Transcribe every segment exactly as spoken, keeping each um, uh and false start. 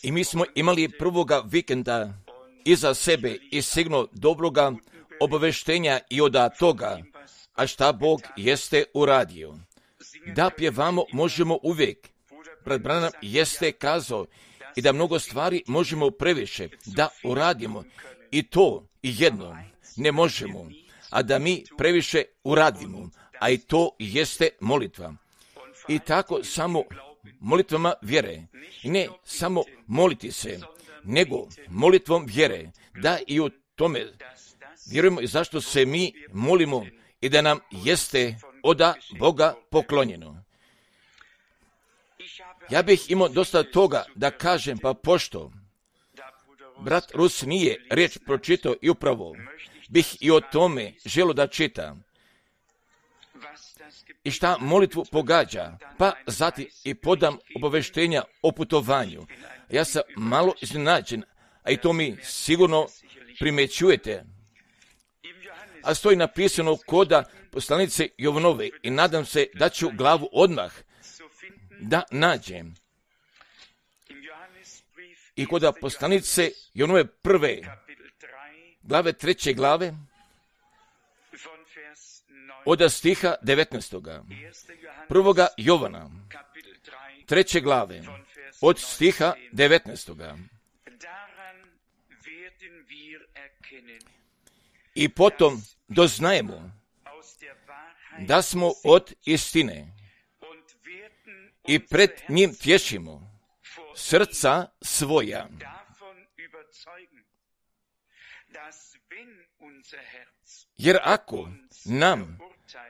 I mi smo imali prvoga vikenda iza sebe i sigurno dobroga obaveštenja i od toga, a šta Bog jeste uradio. Da pjevamo možemo uvijek. Brat Branham jeste kazao i da mnogo stvari možemo previše da uradimo. I to i jedno ne možemo, a da mi previše uradimo, a i to jeste molitva. I tako samo molitvama vjere, ne samo moliti se, nego molitvom vjere, da i u tome vjerujemo i zašto se mi molimo i da nam jeste oda Boga poklonjeno. Ja bih imao dosta toga da kažem, pa pošto brat Rus nije riječ pročitao i upravo bih i o tome želio da čitam. I šta molitvu pogađa, pa zatim i podam obaveštenja o putovanju. Ja sam malo iznenađen, a i to mi sigurno primjećujete. A stoji napisano koda poslanice Jovanove i nadam se da ću glavu odmah da nađem. I koda poslanice Jovanove prve glave, treće glave, od stiha devetnaestoga. Prvoga Jovana, treće glave, od stiha devetnaestoga. I potom doznajemo da smo od istine i pred njim tješimo srca svoja. Jer ako nam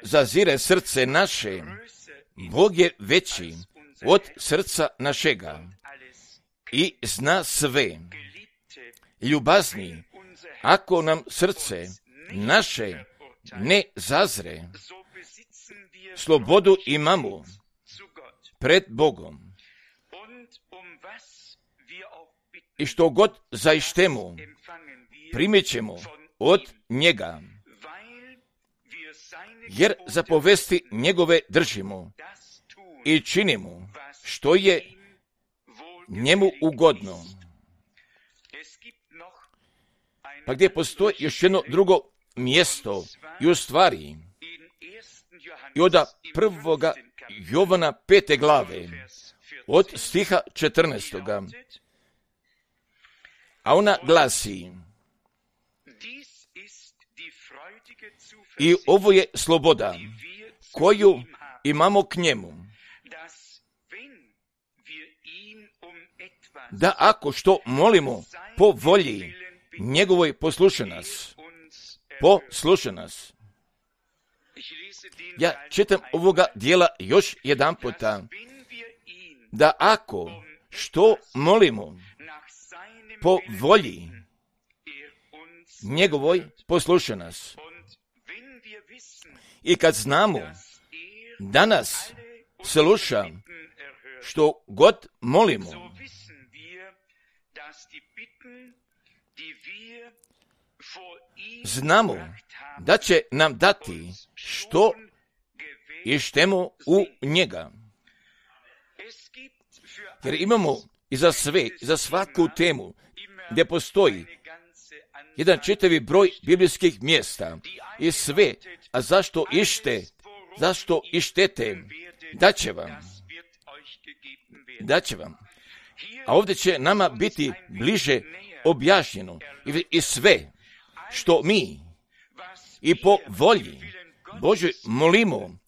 zazire srce naše, Bog je veći od srca našega i zna sve. Ljubazni, ako nam srce naše ne zazre, slobodu imamo pred Bogom. I što god zaištemo, primit ćemo od njega, jer zapovesti njegove držimo i činimo što je njemu ugodno. Pa gdje postoji još jedno drugo mjesto i u stvari i od prvoga Jovana pete glave od stiha četrnaestoga. A ona glasi: i ovo je sloboda koju imamo k njemu, da ako što molimo po volji njegovoj posluša nas, posluša nas. Ja čitam ovoga dijela još jedan puta, da ako što molimo po volji njegovoj posluša nas. I kad znamo da nas sluša što god molimo, znamo da će nam dati što ištemo u njega. Jer imamo i za sve, i za svaku temu gdje postoji jedan čitavi broj biblijskih mjesta i sve, a zašto ište, zašto ištete, daće vam, daće vam. A ovdje će nama biti bliže objašnjeno i, i sve što mi i po volji Božoj molimo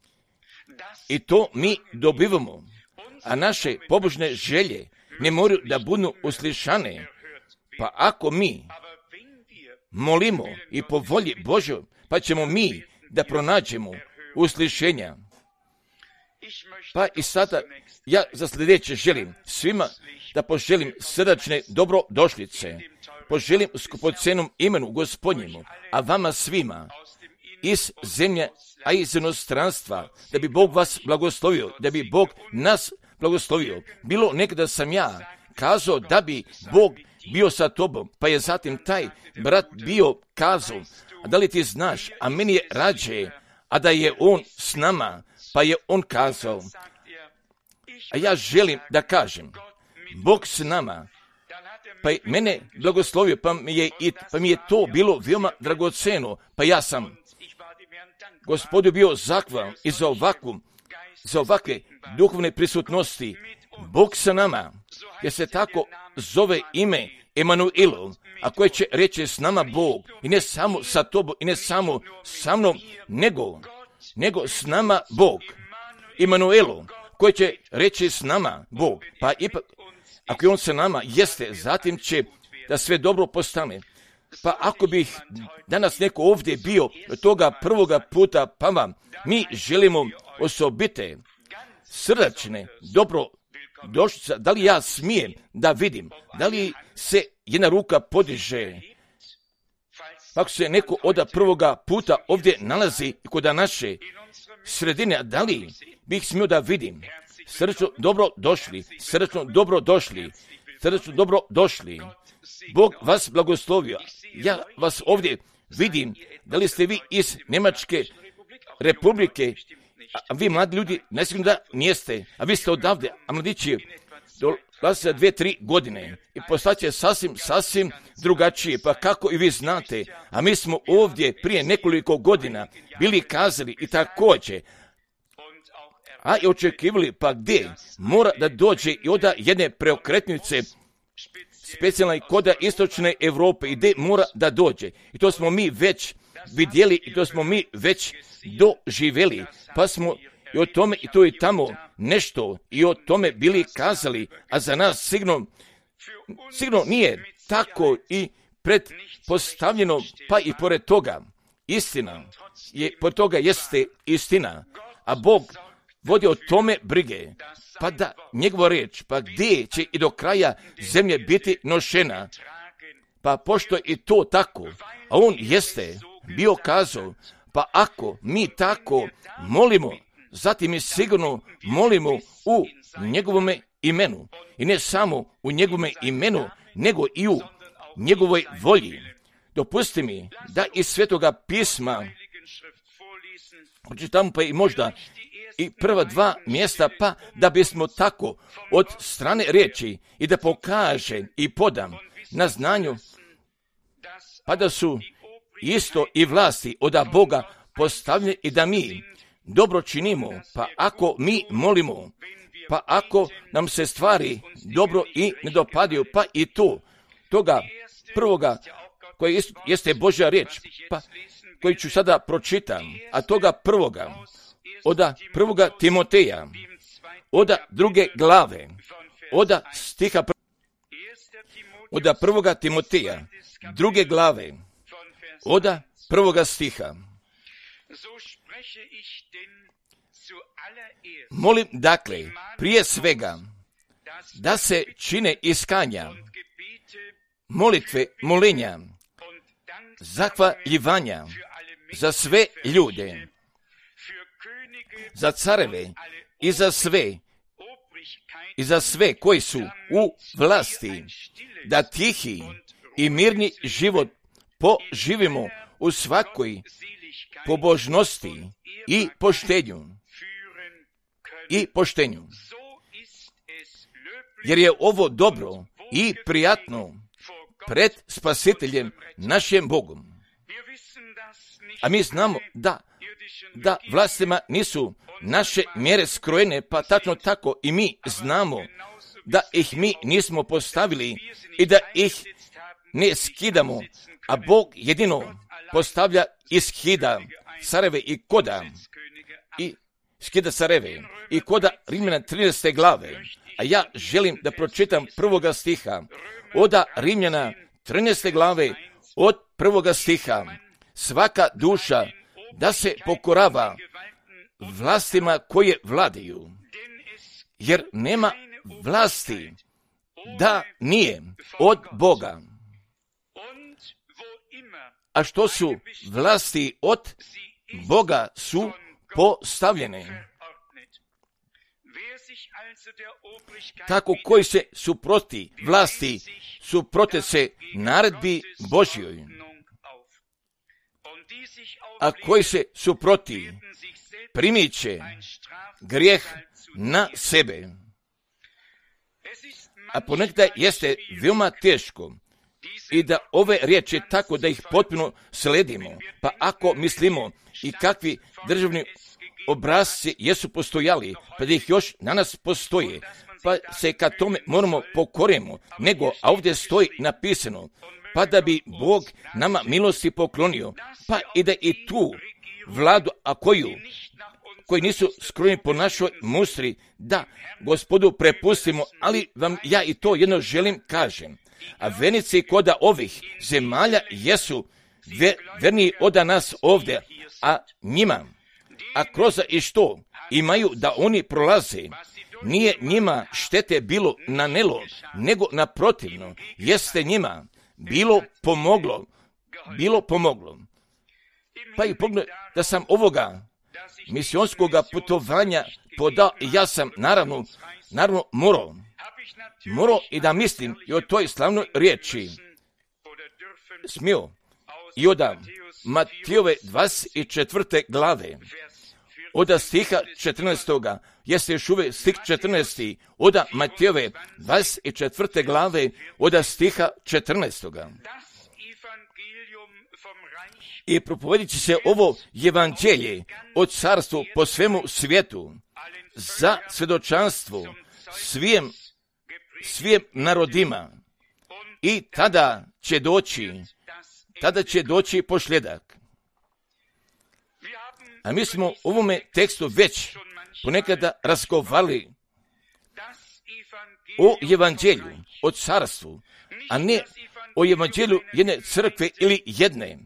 i to mi dobivamo, a naše pobožne želje ne moraju da budu uslišane. Pa ako mi molimo i po volji Božoj, pa ćemo mi da pronađemo uslišenja. Pa i sada ja za sljedeće želim svima da poželim srdačne dobrodošlice, poželim skupocenom imenu Gospodnjemu, a vama svima iz zemlje, a iz inostranstva, da bi Bog vas blagoslovio, da bi Bog nas blagoslovio. Bilo nekada sam ja kazao da bi Bog bio sa tobom, pa je zatim taj brat bio kazao, a da li ti znaš, a meni je rađe, a da je on s nama, pa je on kazao, a ja želim da kažem, Bog s nama, pa je mene blagoslovio, pa mi je, i, pa mi je to bilo veoma dragoceno, pa ja sam Gospodu bio zahvalan i za ovakvu, za ovakve duhovne prisutnosti. Bog sa nama, jer se tako zove ime Emanuelu, a koje će reći s nama Bog, i ne samo sa tobom, i ne samo sa mnom, nego, nego s nama Bog. Emanuelu, koji će reći s nama Bog, pa ipak, ako je on sa nama, jeste, zatim će da sve dobro postane. Pa ako bih danas neko ovdje bio od toga prvoga puta, pa vam, mi želimo osobite, srdačne, dobro došlice, da li ja smijem da vidim, da li se jedna ruka podiže, ako se neko od prvoga puta ovdje nalazi kod naše sredine, da li bih smio da vidim, srdačno dobro došli, srdačno dobro došli, srdačno dobro došli, Bog vas blagoslovio. Ja vas ovdje vidim, da li ste vi iz Njemačke republike, a vi mladi ljudi, ne sigurno da nijeste, a vi ste odavde, a mladići dolaze za dvije, tri godine i postaće sasvim, sasvim drugačije, pa kako i vi znate, a mi smo ovdje prije nekoliko godina bili kazali i također, a i očekivali, pa gdje mora da dođe i od jedne preokretnice specijalna koda istočne Europe i gdje mora da dođe. I to smo mi već vidjeli i to smo mi već doživjeli, pa smo i o tome i to i tamo nešto i o tome bili kazali, a za nas sigurno, sigurno nije tako i predpostavljeno, pa i pored toga istina, je, pored toga jeste istina, a Bog vodi o tome brige, pa da njegova riječ, pa gdje će i do kraja zemlje biti nošena, pa pošto je i to tako, a on jeste bio kazao, pa ako mi tako molimo, zatim mi sigurno molimo u njegovome imenu, i ne samo u njegovome imenu, nego i u njegovoj volji. Dopusti mi da iz Svetoga pisma pročitam pa i možda i prva dva mjesta, pa da bismo tako od strane riječi i da pokaže i podam na znanju, pa da su isto i vlasti od Boga postavljene i da mi dobro činimo, pa ako mi molimo, pa ako nam se stvari dobro i ne dopadaju, pa i to, toga prvoga koji jeste Božja riječ, pa koji ću sada pročitam, a toga prvoga, oda prvoga Timoteja, oda druge glave, oda stiha, oda prvoga Timoteja, druge glave, oda prvoga stiha. Molim dakle, prije svega, da se čine iskanja, molitve, molenja, zahvaljivanja za sve ljude, za careve i za sve, i za sve koji su u vlasti, da tihi i mirni život poživimo u svakoj pobožnosti i poštenju. I poštenju. Jer je ovo dobro i prijatno pred Spasiteljem našem Bogom. A mi znamo da, da vlastima nisu naše mjere skrojene, pa tačno tako i mi znamo da ih mi nismo postavili i da ih ne skidamo, a Bog jedino postavlja i skida careve i koda i skida careve i koda Rimljana trinaeste glave. A ja želim da pročitam prvoga stiha oda Rimljana trinaeste glave od prvoga stiha. Svaka duša da se pokorava vlastima koje vladaju, jer nema vlasti da nije od Boga. A što su vlasti od Boga su postavljene. Tako koji se suproti vlasti, suprote se naredbi Božjoj. A koji se suproti, primit će grijeh na sebe. a ponekad jeste veoma teško i da ove riječi tako da ih potpuno sledimo. Pa ako mislimo i kakvi državni obrazci jesu postojali, pa da ih još na nas postoje, pa se kad tome moramo pokorimo, nego, a ovdje stoji napisano, pa da bi Bog nama milosti poklonio, pa i da i tu vladu, a koju, koji nisu skrojeni po našoj mustri, da Gospodu prepustimo, ali vam ja i to jedno želim kažem. A vernici koda ovih zemalja jesu ver, verniji od nas ovdje, a njima, a kroz i što imaju da oni prolaze, nije njima štete bilo nanelo, nego naprotivno, jeste njima bilo pomoglo, bilo pomoglo. Pa i pogled da sam ovoga misionskog putovanja podao, ja sam naravno, naravno morao, morao i da mislim i o toj slavnoj riječi smio i od Matijove dvadeset četvrte glave, od stiha četrnaestoga, jeste još uvijek stih četrnaesti, od Matijove dvadeset četvrte glave, od stiha četrnaestoga. I propovedit će se ovo evanđelje od carstvu po svemu svijetu za svjedočanstvo svijem, svijem narodima. I tada će doći, tada će doći posljedak. A mi smo u ovome tekstu već ponekada razgovarali o evanđelju, o carstvu, a ne o evanđelju jedne crkve ili jedne,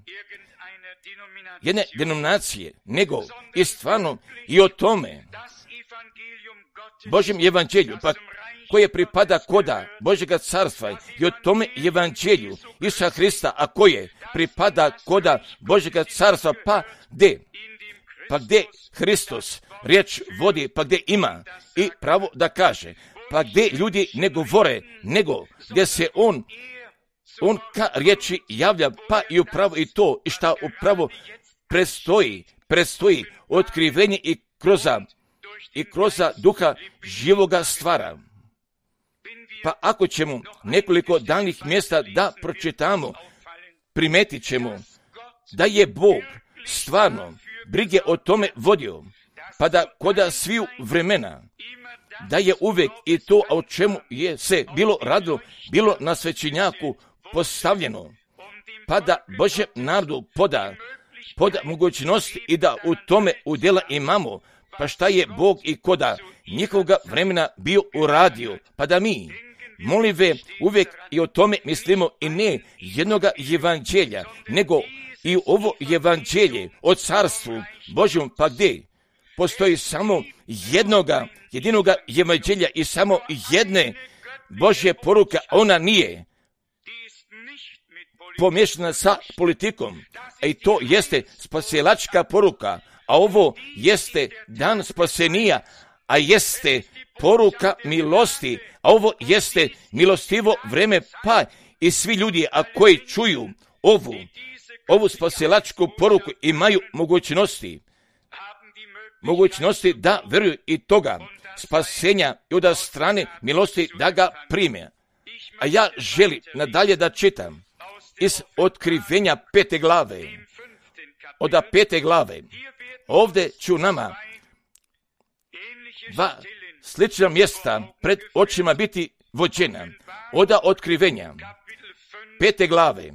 jedne denominacije, nego i stvarno i o tome Božjem evanđelju, pa koje pripada koda Božjega carstva i o tome evanđelju Isusa Hrista, a koje pripada koda Božjega carstva, pa gdje? Pa gdje Hristos riječ vodi, pa gdje ima i pravo da kaže, pa gdje ljudi ne govore, nego gdje se on, on ka riječi javlja, pa i upravo i to, i šta upravo predstoji, predstoji otkrivenje i kroz, i kroz duha živoga stvara. Pa ako ćemo nekoliko danih mjesta da pročitamo, primetit ćemo da je Bog stvarno brige o tome vodio, pa da koda sviju vremena, da je uvijek i to o čemu je se bilo radilo, bilo na svećenjaku postavljeno, pa da Božjem narodu poda, poda mogućnost i da u tome udjela imamo, pa šta je Bog i koda njihovoga vremena bio uradio, pa da mi, molive, uvijek i o tome mislimo i ne jednoga evanđelja, nego i ovo evanđelje o carstvu Božjem, pa gdje postoji samo jednoga, jedinoga evanđelja i samo jedne Božje poruke, ona nije pomiješana sa politikom, a i to jeste spasilačka poruka, a ovo jeste dan spasenija, a jeste poruka milosti, a ovo jeste milostivo vreme, pa i svi ljudi, a koji čuju ovu, ovu spasilačku poruku imaju mogućnosti, mogućnosti da vjeruju i toga spasenja i od strane milosti da ga prime. A ja želim nadalje da čitam iz otkrivenja pete glave, od pete glave. Ovdje ću nama dva slična mjesta pred očima biti vođena. Od otkrivenja pete glave,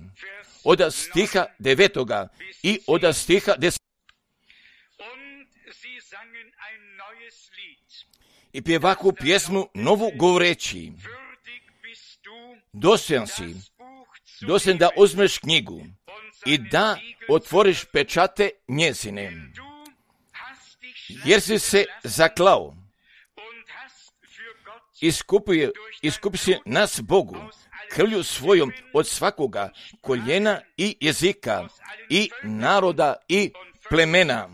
od stiha devetoga i od stiha desetog. I pjevaku pjesmu novu govoreći, dostojan si, dostojan da uzmeš knjigu i da otvoriš pečate njezine, jer si se zaklao, iskupuje, iskupi si nas Bogu, krvlju svojom od svakoga koljena i jezika i naroda i plemena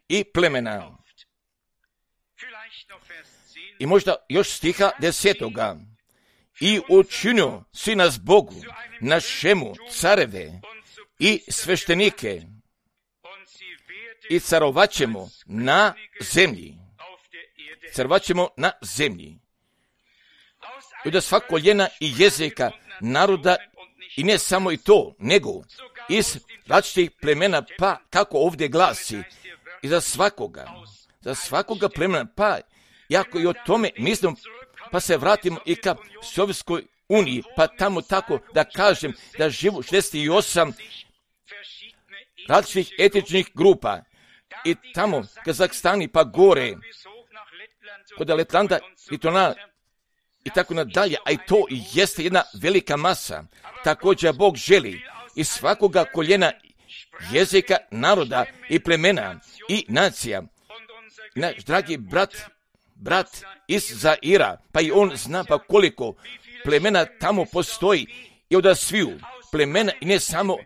i plemena. I možda još stiha desetoga. I učinio si nas Bogu, našemu careve i sveštenike i carovaćemo na zemlji. Carovaćemo na zemlji. i od svakog koljena i jezika, naroda, i ne samo i to, nego iz različitih plemena, pa kako ovdje glasi, i za svakoga, za svakoga plemena, pa jako i o tome mislim, pa se vratimo i ka Sovjetskoj uniji, pa tamo tako da kažem da živu šezdeset osam različitih etičnih grupa i tamo Kazahstani pa gore, kod Letlanda i Tona i tako nadalje, a i to jeste jedna velika masa. Također Bog želi iz svakoga koljena, jezika, naroda i plemena i nacija. Naš dragi brat, brat iz Zaira, pa i on zna pa koliko plemena tamo postoji i od sviju plemena i ne samo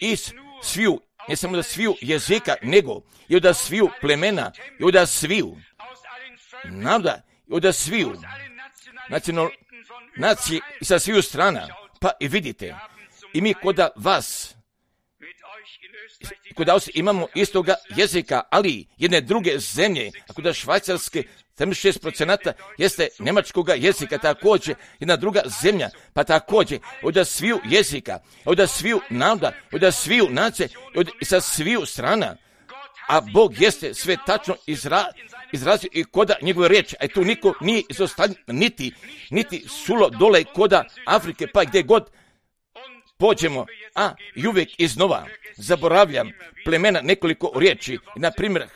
iz sviju, ne samo da sviju jezika, nego i od sviju plemena i od sviju naroda i od sviju nacional, nacije i sa sviju strana. Pa i vidite, i mi kod vas, kod vas imamo istoga jezika, ali jedne druge zemlje, a kod Švajcarske sedamdeset šest procenta jeste njemačkoga jezika, također jedna druga zemlja, pa također od sviju jezika, od sviju naroda, od sviju nacije, od sa sviju strana, a Bog jeste sve tačno izra, izrazio i koda njegove riječi, a tu niko nije izostavljen, niti, niti sulo dole koda Afrike, pa gdje god pođemo, a i uvijek iznova zaboravljam plemena nekoliko riječi, na primjer,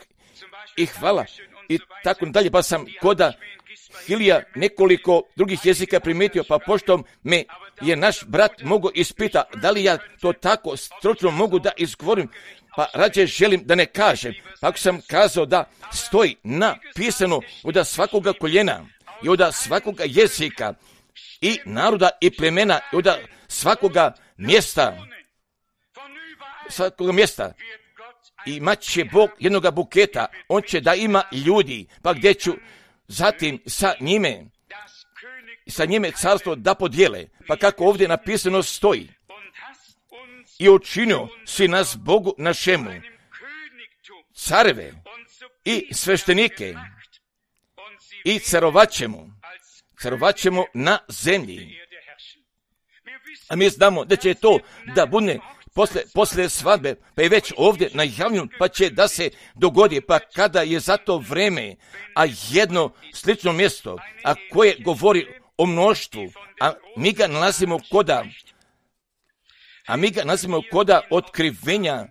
i hvala, i tako dalje, pa sam koda Hilija nekoliko drugih jezika primijetio, pa pošto me je naš brat mogao ispita da li ja to tako stručno mogu da izgovorim, pa rađe želim da ne kažem. Pa ako sam kazao da stoji napisano od svakoga koljena i od svakoga jezika i naroda i plemena i od svakoga mjesta, svakoga mjesta, imat će Bog jednoga buketa, on će da ima ljudi, pa gdje ću zatim sa njime, sa njime carstvo da podijele, pa kako ovdje napisano stoji, i učinio si nas Bogu našemu, careve i sveštenike, i carovaćemo, carovaćemo na zemlji. A mi znamo da će to da bude posle, posle svadbe, pa je već ovdje najavljeno, pa će da se dogodi, pa kada je za to vreme, a jedno slično mjesto, a koje govori o mnoštvu, a mi ga nalazimo koda, a mi ga nalazimo koda otkrivenja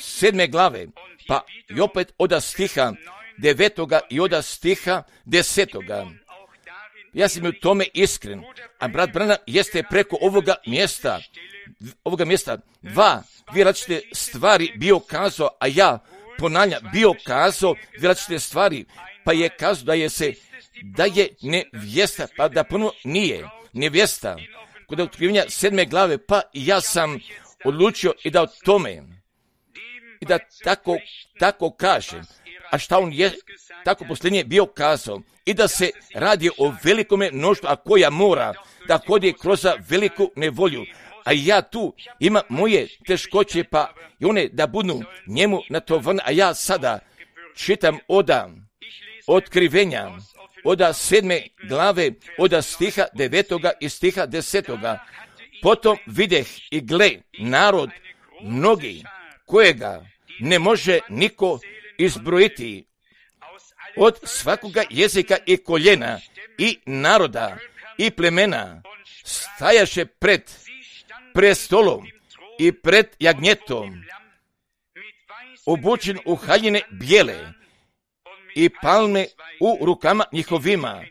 sedme glave, pa i opet od stiha devetoga i od stiha desetoga. Ja sam u tome iskren, a brat Branham jeste preko ovoga mjesta, ovoga mjesta dva, dvije različite stvari bio kazao, a ja ponavljam, bio kazao dvije različite stvari, pa je kazao da je se, da je nevjesta, pa da ponovno nije nevjesta. Kod otkrivenja sedme glave, pa ja sam odlučio i da o tome, i da tako, tako kažem, a šta on je tako posljednje bio kazao, i da se radi o velikome mnoštvu, a koja mora da hodje kroz veliku nevolju, a ja tu imam moje teškoće, pa i one da budu njemu natovane, a ja sada čitam oda otkrivenja, oda sedme glave, oda stiha devetoga i stiha desetoga. Potom videh i gle narod mnogi, kojega ne može niko izbrojiti, od svakoga jezika i koljena i naroda i plemena, stajaše pred prestolom i pred jagnjetom, obučen u haljine bijele i palme u rukama njihovima,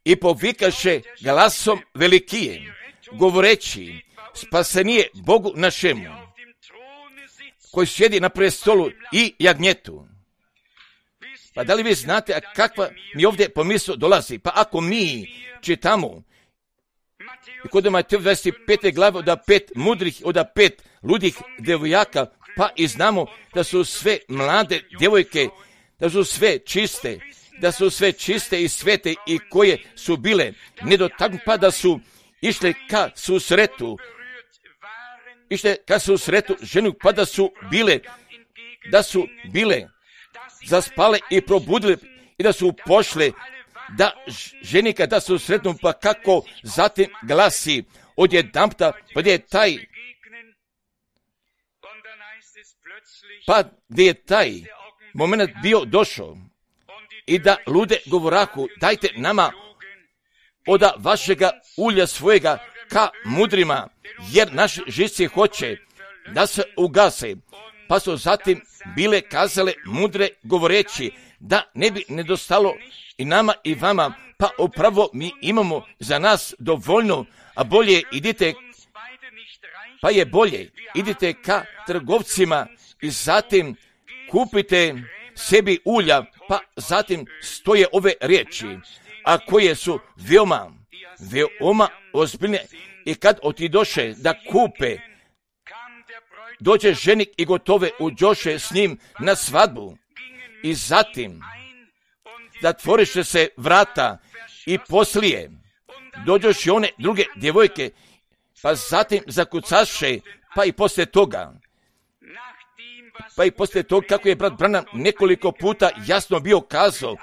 i povikaše glasom velikije, govoreći, spasenije Bogu našemu, koji sjedi na prestolu i jagnjetu. Pa da li vi znate, a kakva mi ovdje pomisao dolazi? Pa ako mi čitamo i kod Mateo dvadeset pete glave od pet mudrih, od pet ludih djevojaka, pa i znamo da su sve mlade djevojke, da su sve čiste, da su sve čiste i svete i koje su bile nedotaknute, pa da su išle ka susretu, išle ka susretu ženu, pa da su bile, da su bile zaspale i probudile i da su pošle da ženi kada se sretnu, pa kako zatim glasi odjedanputa, pa gdje je taj, pa gdje je taj moment bio došao i da lude govoraku, dajte nama oda vašega ulja svojega ka mudrima, jer naše živci hoće da se ugase. Pa su zatim bile kazale mudre govoreći da ne bi nedostalo i nama i vama, pa upravo mi imamo za nas dovoljno, a bolje idite, pa je bolje idite ka trgovcima i zatim kupite sebi ulja, pa zatim stoje ove riječi, a koje su veoma, veoma ozbiljne. I kad otidoše da kupe, dođe ženik i gotove uđoše s njim na svadbu. I zatim da tvoriše se vrata i poslije dođoš i one druge djevojke, pa zatim zakucaše, pa i poslije toga, pa i poslije toga kako je brat Branham nekoliko puta jasno bio kazao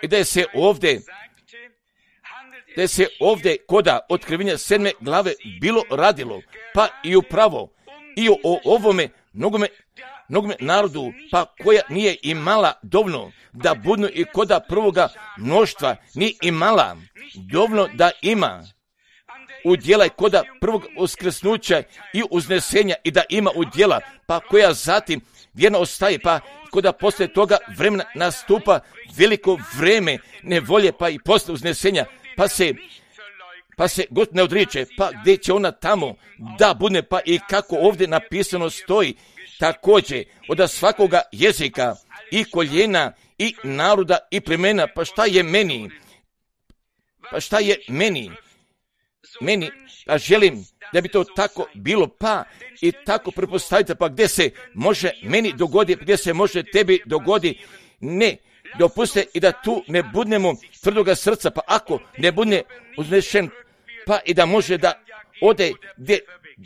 i da je se ovdje, da je se ovdje koda otkrivenja sedme glave bilo radilo, pa i upravo i o ovome mnogome, mnogome narodu, pa koja nije imala dovoljno da budnu i koda prvoga mnoštva, nije imala dovoljno da ima udjela i koda prvog uskrsnuća i uznesenja i da ima udjela, pa koja zatim vjerno ostaje, pa koda poslije toga vremena nastupa veliko vreme nevolje, pa i poslije uznesenja, pa se pa se god ne odriče, pa gdje će ona tamo da bude, pa i kako ovdje napisano stoji, također od svakoga jezika i koljena i naroda i plemena, pa šta je meni, pa šta je meni, meni, a želim da bi to tako bilo, pa i tako prepostavite, pa gdje se može meni dogodi, gdje se može tebi dogodi, ne, dopuste i da tu ne budemo tvrdoga srca, pa ako ne bude uznešen, pa i da može da ode gdje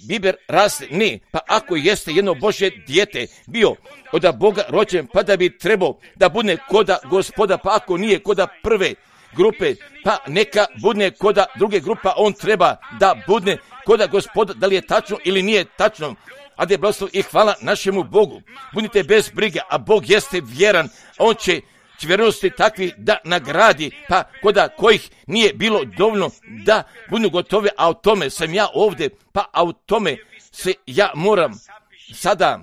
biber raste, ne, pa ako jeste jedno Božje dijete bio od Boga rođen, pa da bi trebao da bude koda Gospoda, pa ako nije koda prve grupe, pa neka budne koda druge grupa, on treba da budne koda Gospoda, da li je tačno ili nije tačno. A da je blagoslov i hvala našemu Bogu. Budite bez brige, a Bog jeste vjeran, a on će će vjernosti takvi da nagradi, pa koda kojih nije bilo dovoljno da budu gotovi, a o tome sam ja ovdje, pa a o tome se ja moram sada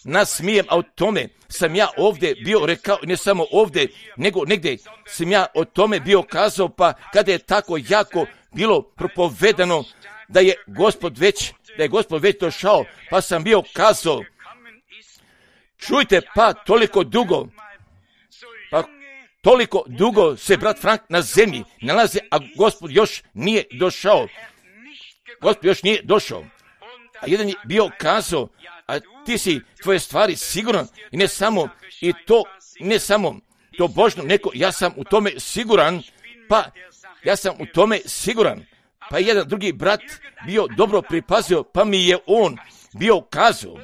nasmijem, a o tome sam ja ovdje bio rekao, ne samo ovdje, nego negdje sam ja o tome bio kazao, pa kada je tako jako bilo propovedano da je Gospod već, da je Gospod već došao, pa sam bio kazao, čujte, pa toliko dugo, pa toliko dugo se brat Frank na zemlji nalazi, a Gospod još nije došao. Gospod još nije došao. A jedan je bio kazao, a ti si tvoje stvari siguran i ne samo i to, ne samo to Božno, neko, ja sam u tome siguran, pa ja sam u tome siguran. Pa jedan drugi brat bio dobro pripazio, pa mi je on bio kazao,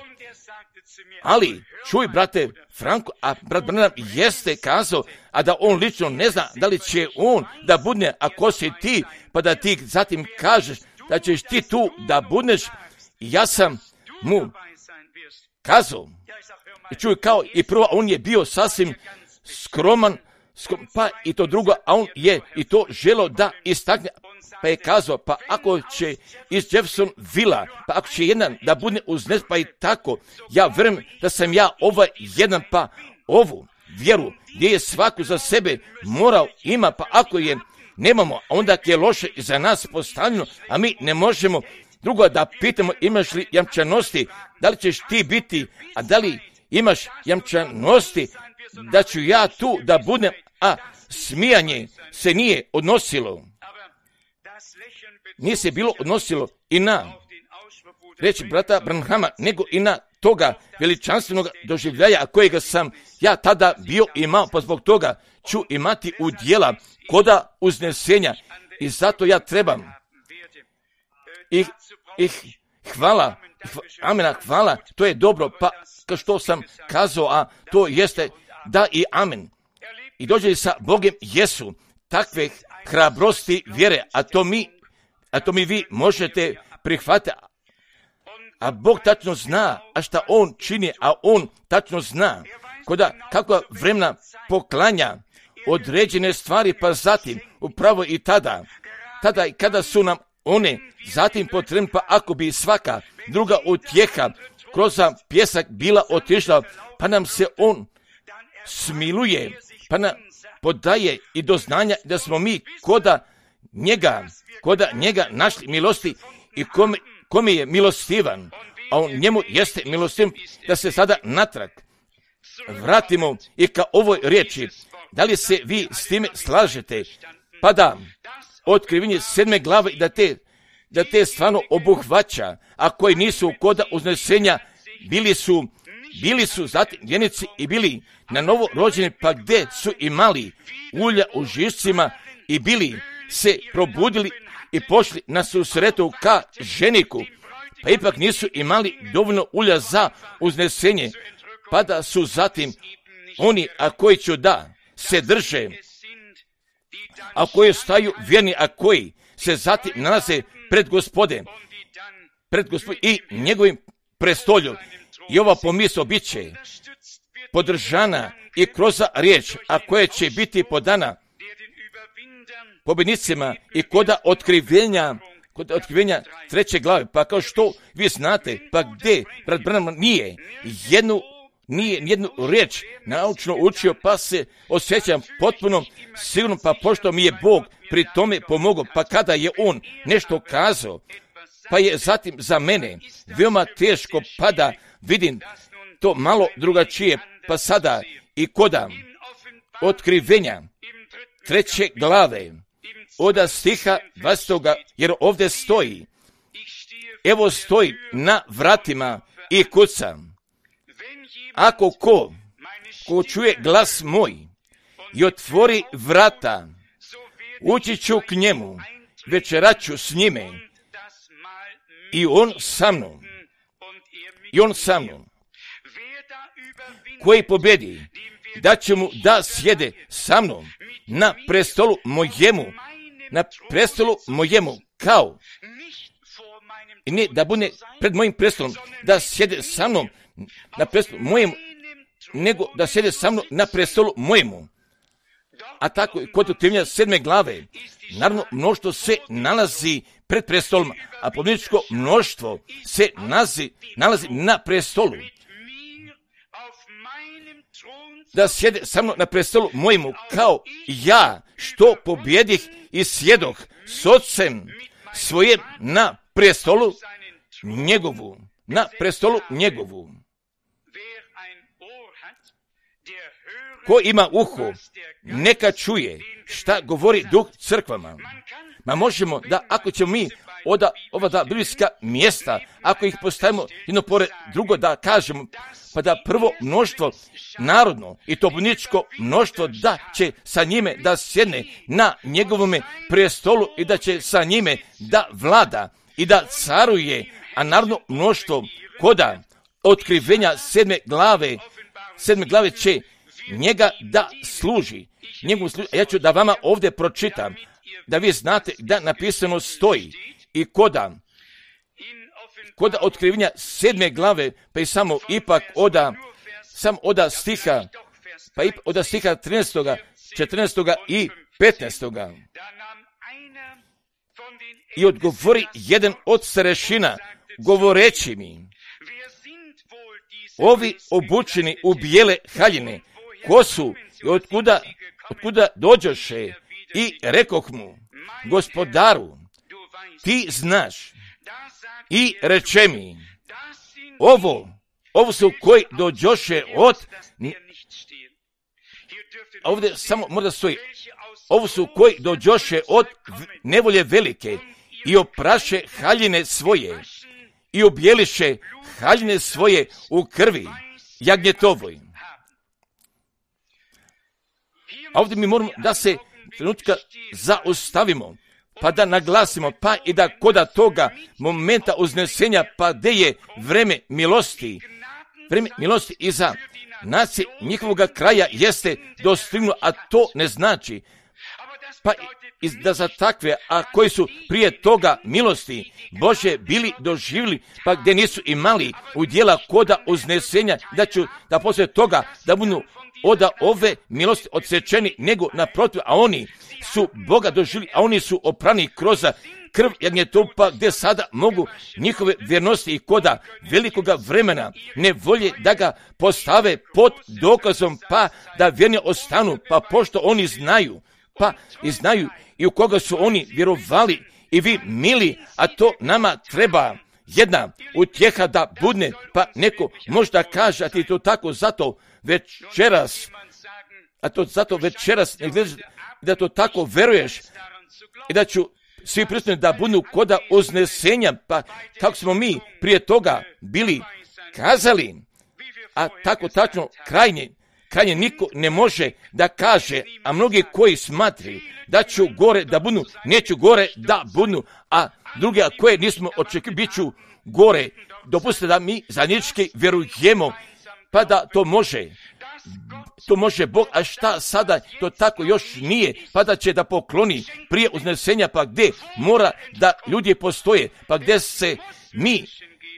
ali čuj brate Franko, a brat Branham jeste kazao, a da on lično ne zna da li će on da budne, a ko si ti, pa da ti zatim kažeš da ćeš ti tu da budneš. Ja sam mu kazao, i čuj kao i prvo, on je bio sasvim skroman, skrom, pa i to drugo, a on je i to želo da istakne, pa je kazao, pa ako će iz Jefferson Villa, pa ako će jedan da bude uznes, pa i tako, ja vjerujem da sam ja ovaj jedan, pa ovu vjeru, gdje je svaku za sebe morao ima, pa ako je nemamo, onda je loše za nas postavljeno, a mi ne možemo drugo da pitamo imaš li jamčanosti, da li ćeš ti biti, a da li imaš jamčanosti, da ću ja tu da budem, a smijanje se nije odnosilo. Nije se bilo odnosilo i na reći brata Branhama, nego i na toga veličanstvenog doživljaja kojega sam ja tada bio imao, pa zbog toga ću imati udjela koda uznesenja i zato ja trebam i, i hvala, hva, amena, hvala, to je dobro, pa kao što sam kazao, a to jeste da i amen. I dođe sa Bogom Jesu, takve hrabrosti vjere, a to mi, a to mi vi možete prihvatiti. A Bog tačno zna, a šta On čini, a On tačno zna koda kakva vremena poklanja određene stvari, pa zatim upravo i tada, tada i kada su nam one zatim potrebne, pa ako bi svaka druga utjeha kroz pjesak bila otišla, pa nam se On smiluje, pa nam podaje i do znanja da smo mi koda njega, koda njega našli milosti i kome, kome je milostivan, a on njemu jeste milostivan, da se sada natrag vratimo i ka ovoj riječi. Da li se vi s time slažete? Pa da, otkrivenje sedme glave, da te, da te stvarno obuhvaća, a koji nisu koda uznesenja, bili su, bili su zatim vjenici i bili na novo rođeni, pa gdje su imali ulja u žišcima i bili se probudili i pošli na susretu ka ženiku, pa ipak nisu imali dovoljno ulja za uznesenje, pa da su zatim oni, a koji će da se drže, a koji staju vjerni, a koji se zatim nalaze pred Gospodem, pred Gospodem i njegovim prestolju. I ova pomisao bit će podržana i kroz riječ, a koja će biti podana pobjednicima i koda otkrivenja, kod otkrivenja treće glave, pa kao što vi znate, pa gdje brat Branham nije jednu, nije jednu riječ naučno učio, pa se osjećam potpuno sigurno, pa pošto mi je Bog pri tome pomogao, pa kada je On nešto kazao, pa je zatim za mene veoma teško, pa da vidim to malo drugačije, pa sada i koda otkrivenja treće glave, od stiha dvadesetoga, jer ovdje stoji, evo stoji na vratima i kucam. Ako ko, ko čuje glas moj i otvori vrata, ući ću k njemu, večeraću s njime i on sa mnom. I on sa mnom. Koji pobjedi, da će mu da sjede sa mnom na prestolu mojemu, na prestolu mojemu, kao, i ne da bude pred mojim prestolom, da sjede sa mnom na prestolu mojemu, nego da sjede sa mnom na prestolu mojemu. A tako i kod otkrivenja sedme glave, naravno mnoštvo se nalazi pred prestolom, a pobjedničko mnoštvo se nalazi, nalazi na prestolu. Da sjede sa mnom na prestolu mojemu, kao ja što pobjedih i sjedoh s Otcem svojem na prestolu njegovu, na prestolu njegovu. Ko ima uho, neka čuje šta govori Duh crkvama. Ma možemo da, ako ćemo mi oda ova da biblijska mjesta, ako ih postavimo jedno pored drugo, da kažemo, pa da prvo mnoštvo narodno i to pobjedničko mnoštvo da će sa njime da sjedne na njegovome prestolu i da će sa njime da vlada i da caruje, a narodno mnoštvo koda otkrivenja sedme glave, sedme glave će njega da služi. Njegu služi. Ja ću da vama ovdje pročitam, da vi znate da napisano stoji i koda, koda otkrivenja sedme glave, pa i samo ipak oda, sam oda stiha, pa i oda stiha trinaestoga, četrnaestoga i petnaestoga. I odgovori jedan od starešina, govoreći mi, ovi obučeni u bijele haljine, ko su i otkuda, otkuda dođoše, i rekoh mu, Gospodaru, ti znaš, i reče mi, ovo, ovo su koji dođoše od, ovdje samo možda stoji, ovo su koji dođoše od nevolje velike i opraše haljine svoje i objeliše haljine svoje u krvi jagnjetovoj. A ovdje mi moramo da se trenutka zaustavimo, pa da naglasimo, pa i da koda toga momenta uznesenja, pa gdje je vreme milosti, vreme milosti iza nacije njihovoga kraja jeste dostignuo, a to ne znači, pa i da za takve, a koji su prije toga milosti Bože bili doživjeli, pa gdje nisu imali udjela koda uznesenja, da ću da poslije toga da budu od ove milosti odsečeni, nego naprotiv, a oni su Boga doživjeli, a oni su oprani kroz krv jagnjetova, gdje sada mogu njihove vjernosti i koda velikoga vremena ne volje da ga postave pod dokazom, pa da vjerni ostanu, pa pošto oni znaju, pa i znaju i u koga su oni vjerovali i vi mili, a to nama treba jedna utjeha da budne, pa neko možda kaže, a ti to tako zato večeras, a to zato večeras ne gledaš, da to tako veruješ i da ću svi prisutni da budu koda uznesenja, pa kako smo mi prije toga bili kazali, a tako tačno krajnje, krajnje niko ne može da kaže, a mnogi koji smatri da ću gore da budu, neću gore da budu, a druge a koje nismo očekivali, bit ću gore. Dopustite da mi zajednički vjerujemo, pa da to može, to može Bog, a šta sada to tako još nije, pa da će da pokloni prije uznesenja, pa gdje mora da ljudi postoje, pa gdje se mi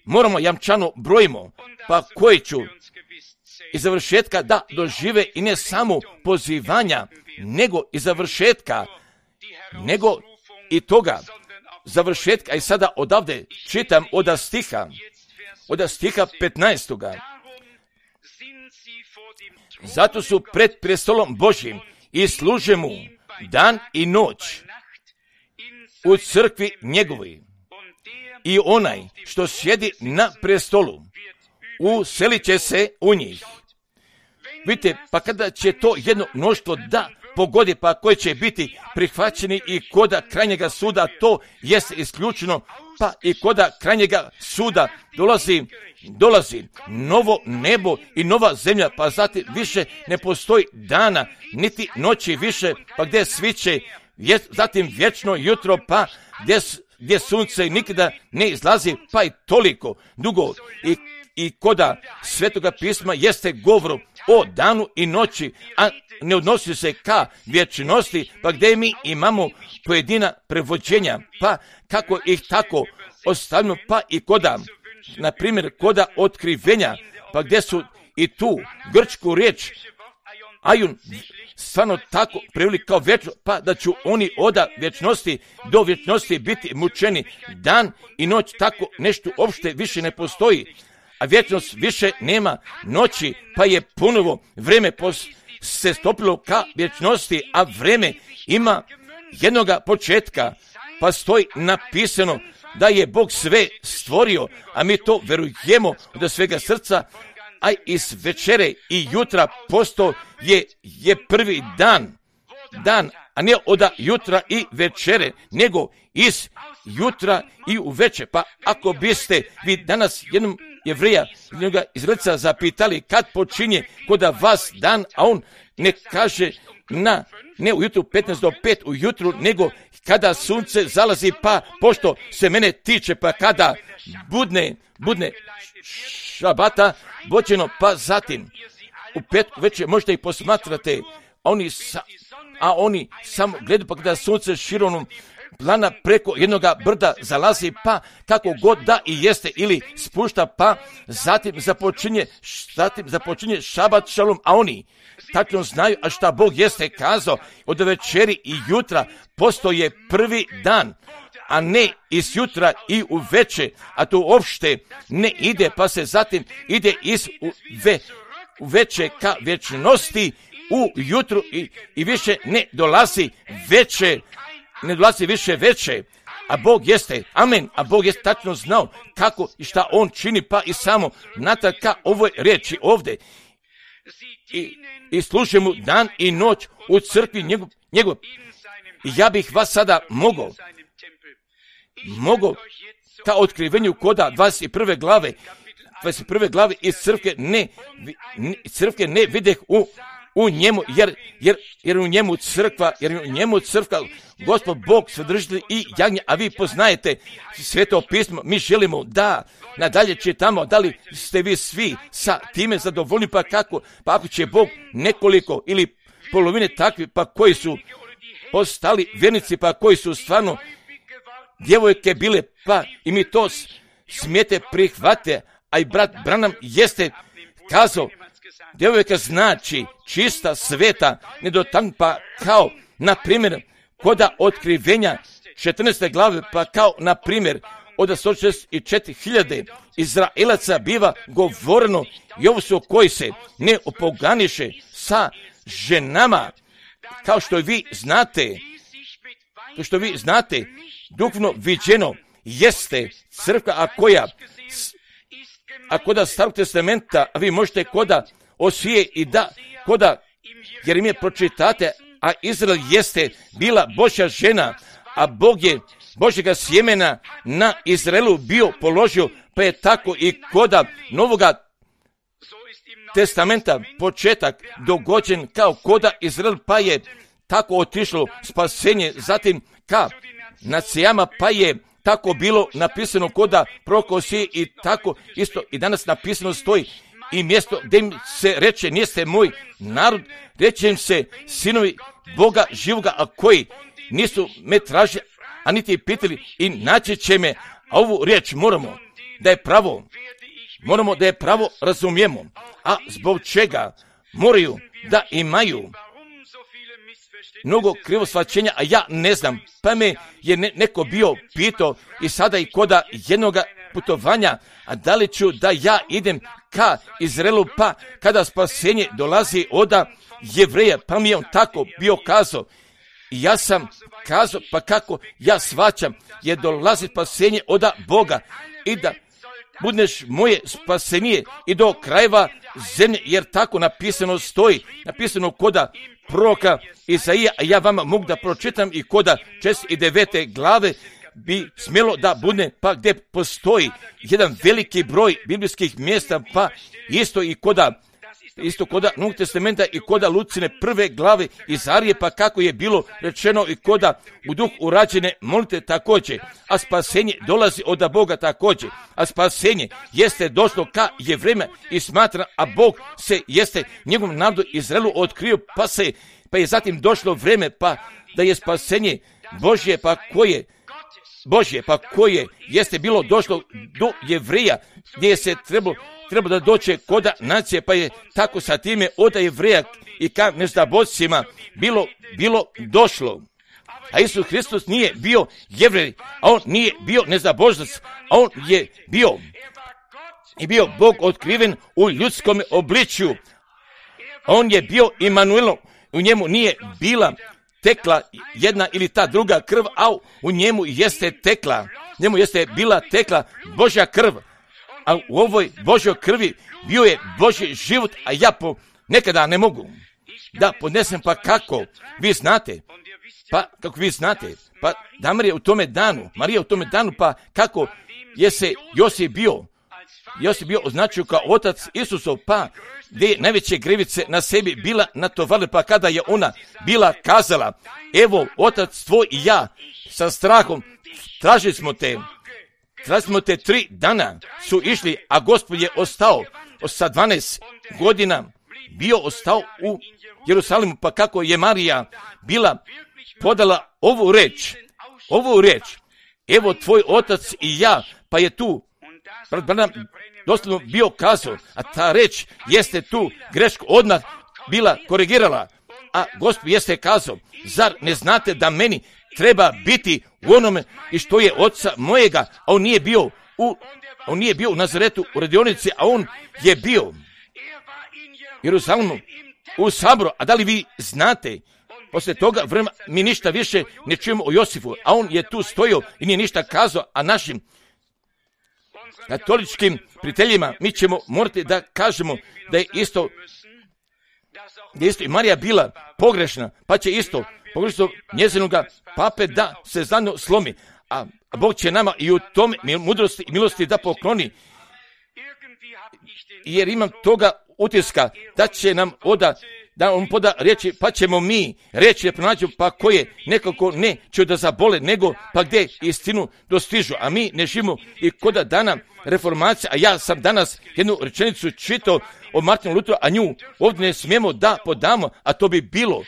moramo jamčano brojimo, pa koji ću i završetka da dožive i ne samo pozivanja, nego i završetka, nego i toga završetka. I sada odavde čitam od stiha, od stiha petnaestoga. Zato su pred prestolom Božjim i služe mu dan i noć u crkvi njegovoj. I onaj što sjedi na prestolu uselit će se u njih. Vidite, pa kada će to jedno mnoštvo da pogodi, pa koje će biti prihvaćeni i koda krajnjega suda, to jest isključeno, pa i koda krajnjega suda dolazi, dolazi novo nebo i nova zemlja, pa zatim više ne postoji dana, niti noći više, pa gdje sviće, zatim vječno jutro, pa gdje, gdje sunce nikada ne izlazi, pa i toliko dugo. I I koda Svetoga pisma jeste govor o danu i noći, a ne odnosi se ka vječnosti, pa gdje mi imamo pojedina prevođenja, pa kako ih tako ostavimo, pa i koda, na primjer, koda otkrivenja, pa gdje su i tu grčku riječ ajun stvarno tako preveli kao vječno, pa da ću oni od vječnosti do vječnosti biti mučeni. Dan i noć, tako nešto uopšte više ne postoji. A vječnost više nema noći, pa je ponovo vrijeme se stopilo ka vječnosti, a vrijeme ima jednoga početka, pa stoji napisano da je Bog sve stvorio, a mi to verujemo od svega srca, a iz večere i jutra posto je, je prvi dan, dan, a ne od jutra i večere, nego iz jutra i u večer. Pa ako biste vi danas jednom Jevrija jednoga Izraelca zapitali kad počinje kod vas dan, a on ne kaže na, ne ujutru petnaest do pet ujutru, nego kada sunce zalazi, pa pošto se mene tiče, pa kada budne, budne šabata vođeno, pa zatim u pet večer možete ih posmatrate, a oni, sa, a oni samo gledaju, pa kada sunce šironom plana preko jednoga brda zalazi, pa kako god da i jeste ili spušta, pa zatim započinje, zatim započinje šabat šalom, a oni tačno znaju, a šta Bog jeste kazao, od večeri i jutra postoje prvi dan, a ne iz jutra i u veče, a to uopšte ne ide, pa se zatim ide iz u, ve, u veče ka večnosti u jutru i, i više ne dolazi veče, ne dolazi više veče, a Bog jeste, amen, a Bog jeste tačno znao kako i šta on čini, pa i samo nataka ovoj riječi ovdje. I, i služe mu dan i noć u crkvi njegov, njegov. I ja bih vas sada mogao, mogao ka otkrivenju koda dvadeset prve glave, dvadeset prve glave iz crkve ne, crkve ne videh u, u njemu, jer, jer, jer u njemu crkva, jer u njemu crkva, Gospod Bog, Svedržitelj i jagnje, a vi poznajete Sveto pismo, mi želimo da nadalje čitamo, da li ste vi svi sa time zadovoljni, pa kako, pa ako će Bog nekoliko ili polovine takvi, pa koji su postali vjernici, pa koji su stvarno djevojke bile, pa i mi to smijete prihvate, a i brat Branham jeste kazao, djevojka znači čista, sveta, nedotaknuta, pa kao, na primjer, koda otkrivenja četrnaeste glave, pa kao, na primjer, od sto šezdeset četiri hiljade Izraelaca biva govoreno, i ovo su koji se ne opoganiše sa ženama, kao što vi znate, kao što vi znate, duhovno viđeno jeste crkva, a koja, a koda Starog testamenta, a vi možete koda Osije i da, koda Jeremije pročitate, a Izrael jeste bila Božja žena, a Bog je Božjega sjemena na Izraelu bio položio, pa je tako i koda Novoga testamenta početak dogođen kao koda Izrael, pa je tako otišlo spasenje, zatim ka nacijama, pa je tako bilo napisano koda proroka Osije i tako isto i danas napisano stoji i mjesto gdje im se reče niste moj narod, reče im se sinovi Boga živoga, a koji nisu me tražili, a niti pitali i naći će me, a ovu riječ moramo da je pravo, moramo da je pravo razumijemo, a zbog čega moraju da imaju mnogo krivo shvaćenja, a ja ne znam, pa me je ne, neko bio pitao i sada i koda jednoga putovanja, a da li ću da ja idem ka Izraelu, pa kada spasenje dolazi od Jevreja, pa mi je on tako bio kazao. I ja sam kazao, pa kako ja shvaćam, je dolazi spasenje od Boga i da budeš moje spasenije i do krajeva zemlje, jer tako napisano stoji, napisano koda proroka Isaija, a ja vama mogu da pročitam i koda šezdeset devete glave bi smjelo da bude, pa gdje postoji jedan veliki broj biblijskih mjesta, pa isto i koda isto koda Novog testamenta i koda Lucine prve glave Izarije, pa kako je bilo rečeno i koda u duh urađene molite također, a spasenje dolazi od Boga također, a spasenje jeste došlo ka Jevrejima i smatra, a Bog se jeste njegovom narodu Izraelu otkrio, pa se, pa je zatim došlo vrijeme, pa da je spasenje Božje, pa koje Božje, pa koje jeste bilo došlo do Jevreja, gdje se trebalo treba da doće koda nacije, pa je tako sa time od Jevreja i ka neznabojcima bilo, bilo došlo. A Isus Hristos nije bio Jevrej, a on nije bio neznabožac, a on je bio i bio Bog otkriven u ljudskom obličju. On je bio Imanuel, u njemu nije bila tekla jedna ili ta druga krv, a u njemu jeste tekla, njemu jeste bila tekla Božja krv. A u ovoj Božjoj krvi bio je Božji život, a ja po nekada ne mogu da podnesem, pa kako vi znate, pa kako vi znate, pa da Marija u tome danu, Marija u tome danu, pa kako je se Josip bio, Josip bio označio kao otac Isusov, pa gdje je najveće grivice na sebi bila natovarila, pa kada je ona bila kazala, evo otac tvoj i ja sa strahom tražili smo te, tražili smo te tri dana su išli, a Gospod je ostao sa dvanaest godina, bio ostao u Jerusalimu, pa kako je Marija bila podala ovu reč, ovu reč, evo tvoj otac i ja, pa je tu brat Branham doslovno bio kazao, a ta reč jeste tu grešku odmah bila korigirala, a Gospod jeste kazao, zar ne znate da meni treba biti u onome i što je oca mojega, a on nije bio u, on nije bio u Nazaretu u radionici, a on je bio u Jerusalimu u saboru. A da li vi znate, poslije toga vremena mi ništa više ne čujemo o Josifu, a on je tu stojio i nije ništa kazao, a našim katoličkim prijateljima mi ćemo morati da kažemo da je isto, da je isto i Marija bila pogrešna, pa će isto pogrešno njezinoga pape da se znano slomi, a Bog će nama i u tome mudrosti i milosti da pokloni, jer imam toga utiska da će nam oda, da on poda riječi, pa ćemo mi reći da pronađu, pa koje nekako ne će da zabole, nego pa gdje istinu dostižu, a mi ne živimo i koda dana reformacija, a ja sam danas jednu rečenicu čitao o Martinu Luteru, a nju ovdje ne smijemo da podamo, a to bi bilo,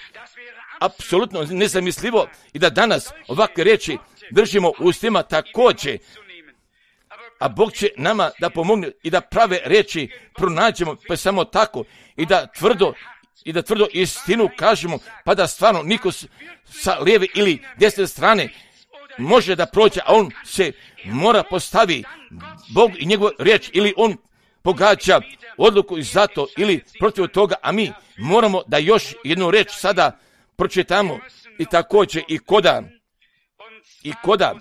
apsolutno nezamislivo i da danas ovakve riječi držimo u ustima također. A Bog će nama da pomogne i da prave riječi pronađemo, pa samo tako i da tvrdo i da tvrdo istinu kažemo, pa da stvarno niko sa lijeve ili desne strane može da prođe, a on se mora postavi Bog i njegov riječ, ili on pogađa odluku i zato ili protiv toga, a mi moramo da još jednu riječ sada pročitamo i također i koda i koda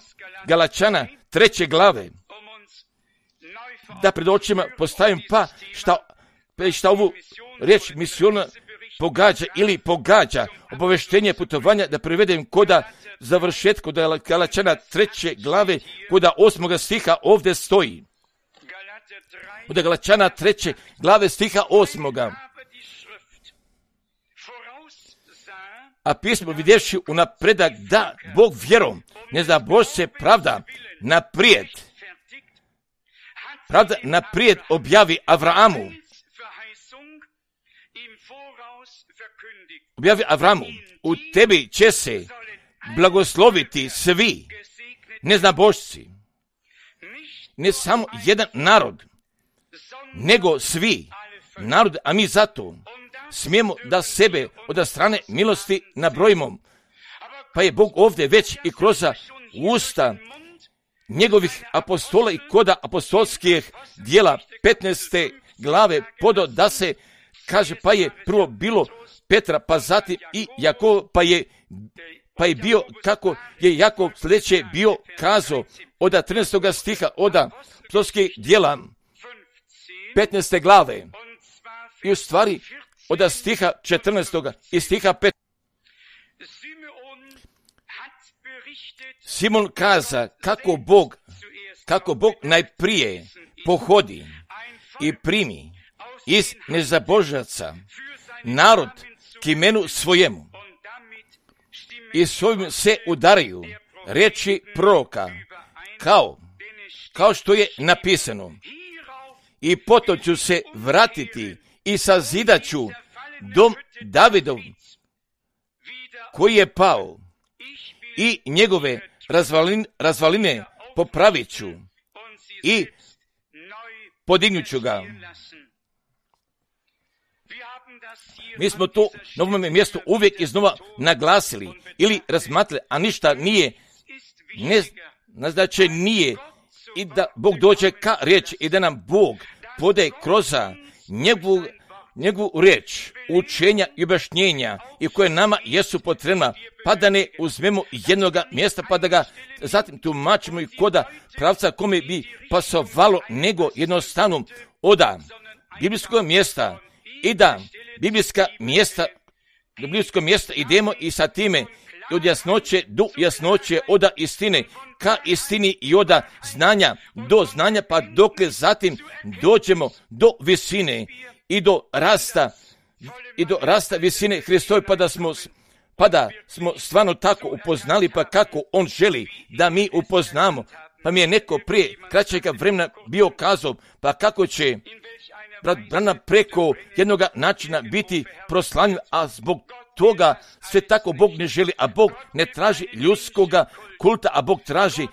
Galačana treće glave, da pred očima postavim pa šta, šta ovu riječ misiona pogađa ili pogađa obaveštenje putovanja, da prevedem koda završetka koda Galačana treće glave koda osmoga stiha ovdje stoji. Koda Galačana treće glave stiha osmoga. A pismo vidjevši unapredak da Bog vjerom ne zna Bož se pravda naprijed. Pravda naprijed objavi Avramu. Objavi Avramu, u tebi će se blagosloviti svi neznabošci. Ne samo jedan narod, nego svi narod, a mi zato smijemo da sebe od strane milosti nabrojimo. Pa je Bog ovdje već i kroz usta njegovih apostola i koda apostolskih dijela petnaeste glave podo da se kaže, pa je prvo bilo Petra, pa zatim i Jakov, pa je, pa je bio kako je Jakov sljedeće bio kazao od trinaestog stiha od apostolskih dijela petnaeste glave i u stvari od stiha četrnaestog i stiha petnaestog. Simon kaza kako Bog, kako Bog najprije pohodi i primi iz nezabožaca narod k imenu svojemu i svojim se udaraju riječi proroka kao, kao što je napisano, i potom ću se vratiti i sazidat ću dom Davidov koji je pao i njegove razvaline, razvaline popravit ću i podignut ću ga. Mi smo to na ovome mjestu uvijek iznova naglasili ili razmatrali, a ništa nije, ne, znači nije, i da Bog dođe ka riječi i da nam Bog podaje kroz njegovu, njegovu riječ, učenja i objašnjenja i koje nama jesu potrebna, pa da ne uzmemo jednoga mjesta pa da ga zatim tumačimo i koda pravca kome bi pasovalo, nego jednostavno oda biblijskog mjesta i da biblijska mjesta, do biblijskog mjesta idemo i sa time od jasnoće do jasnoće, oda istine ka istini i oda znanja do znanja, pa dokle zatim dođemo do visine i do rasta i do rasta visine Hristove, pa da smo pa da smo stvarno tako upoznali, pa kako on želi da mi upoznamo. Pa mi je neko prije kraćega vremena bio kazao, pa kako će brat Branham preko jednoga načina biti proslavljen, a zbog toga sve tako Bog ne želi, a Bog ne traži ljudskoga kulta, a Bog traži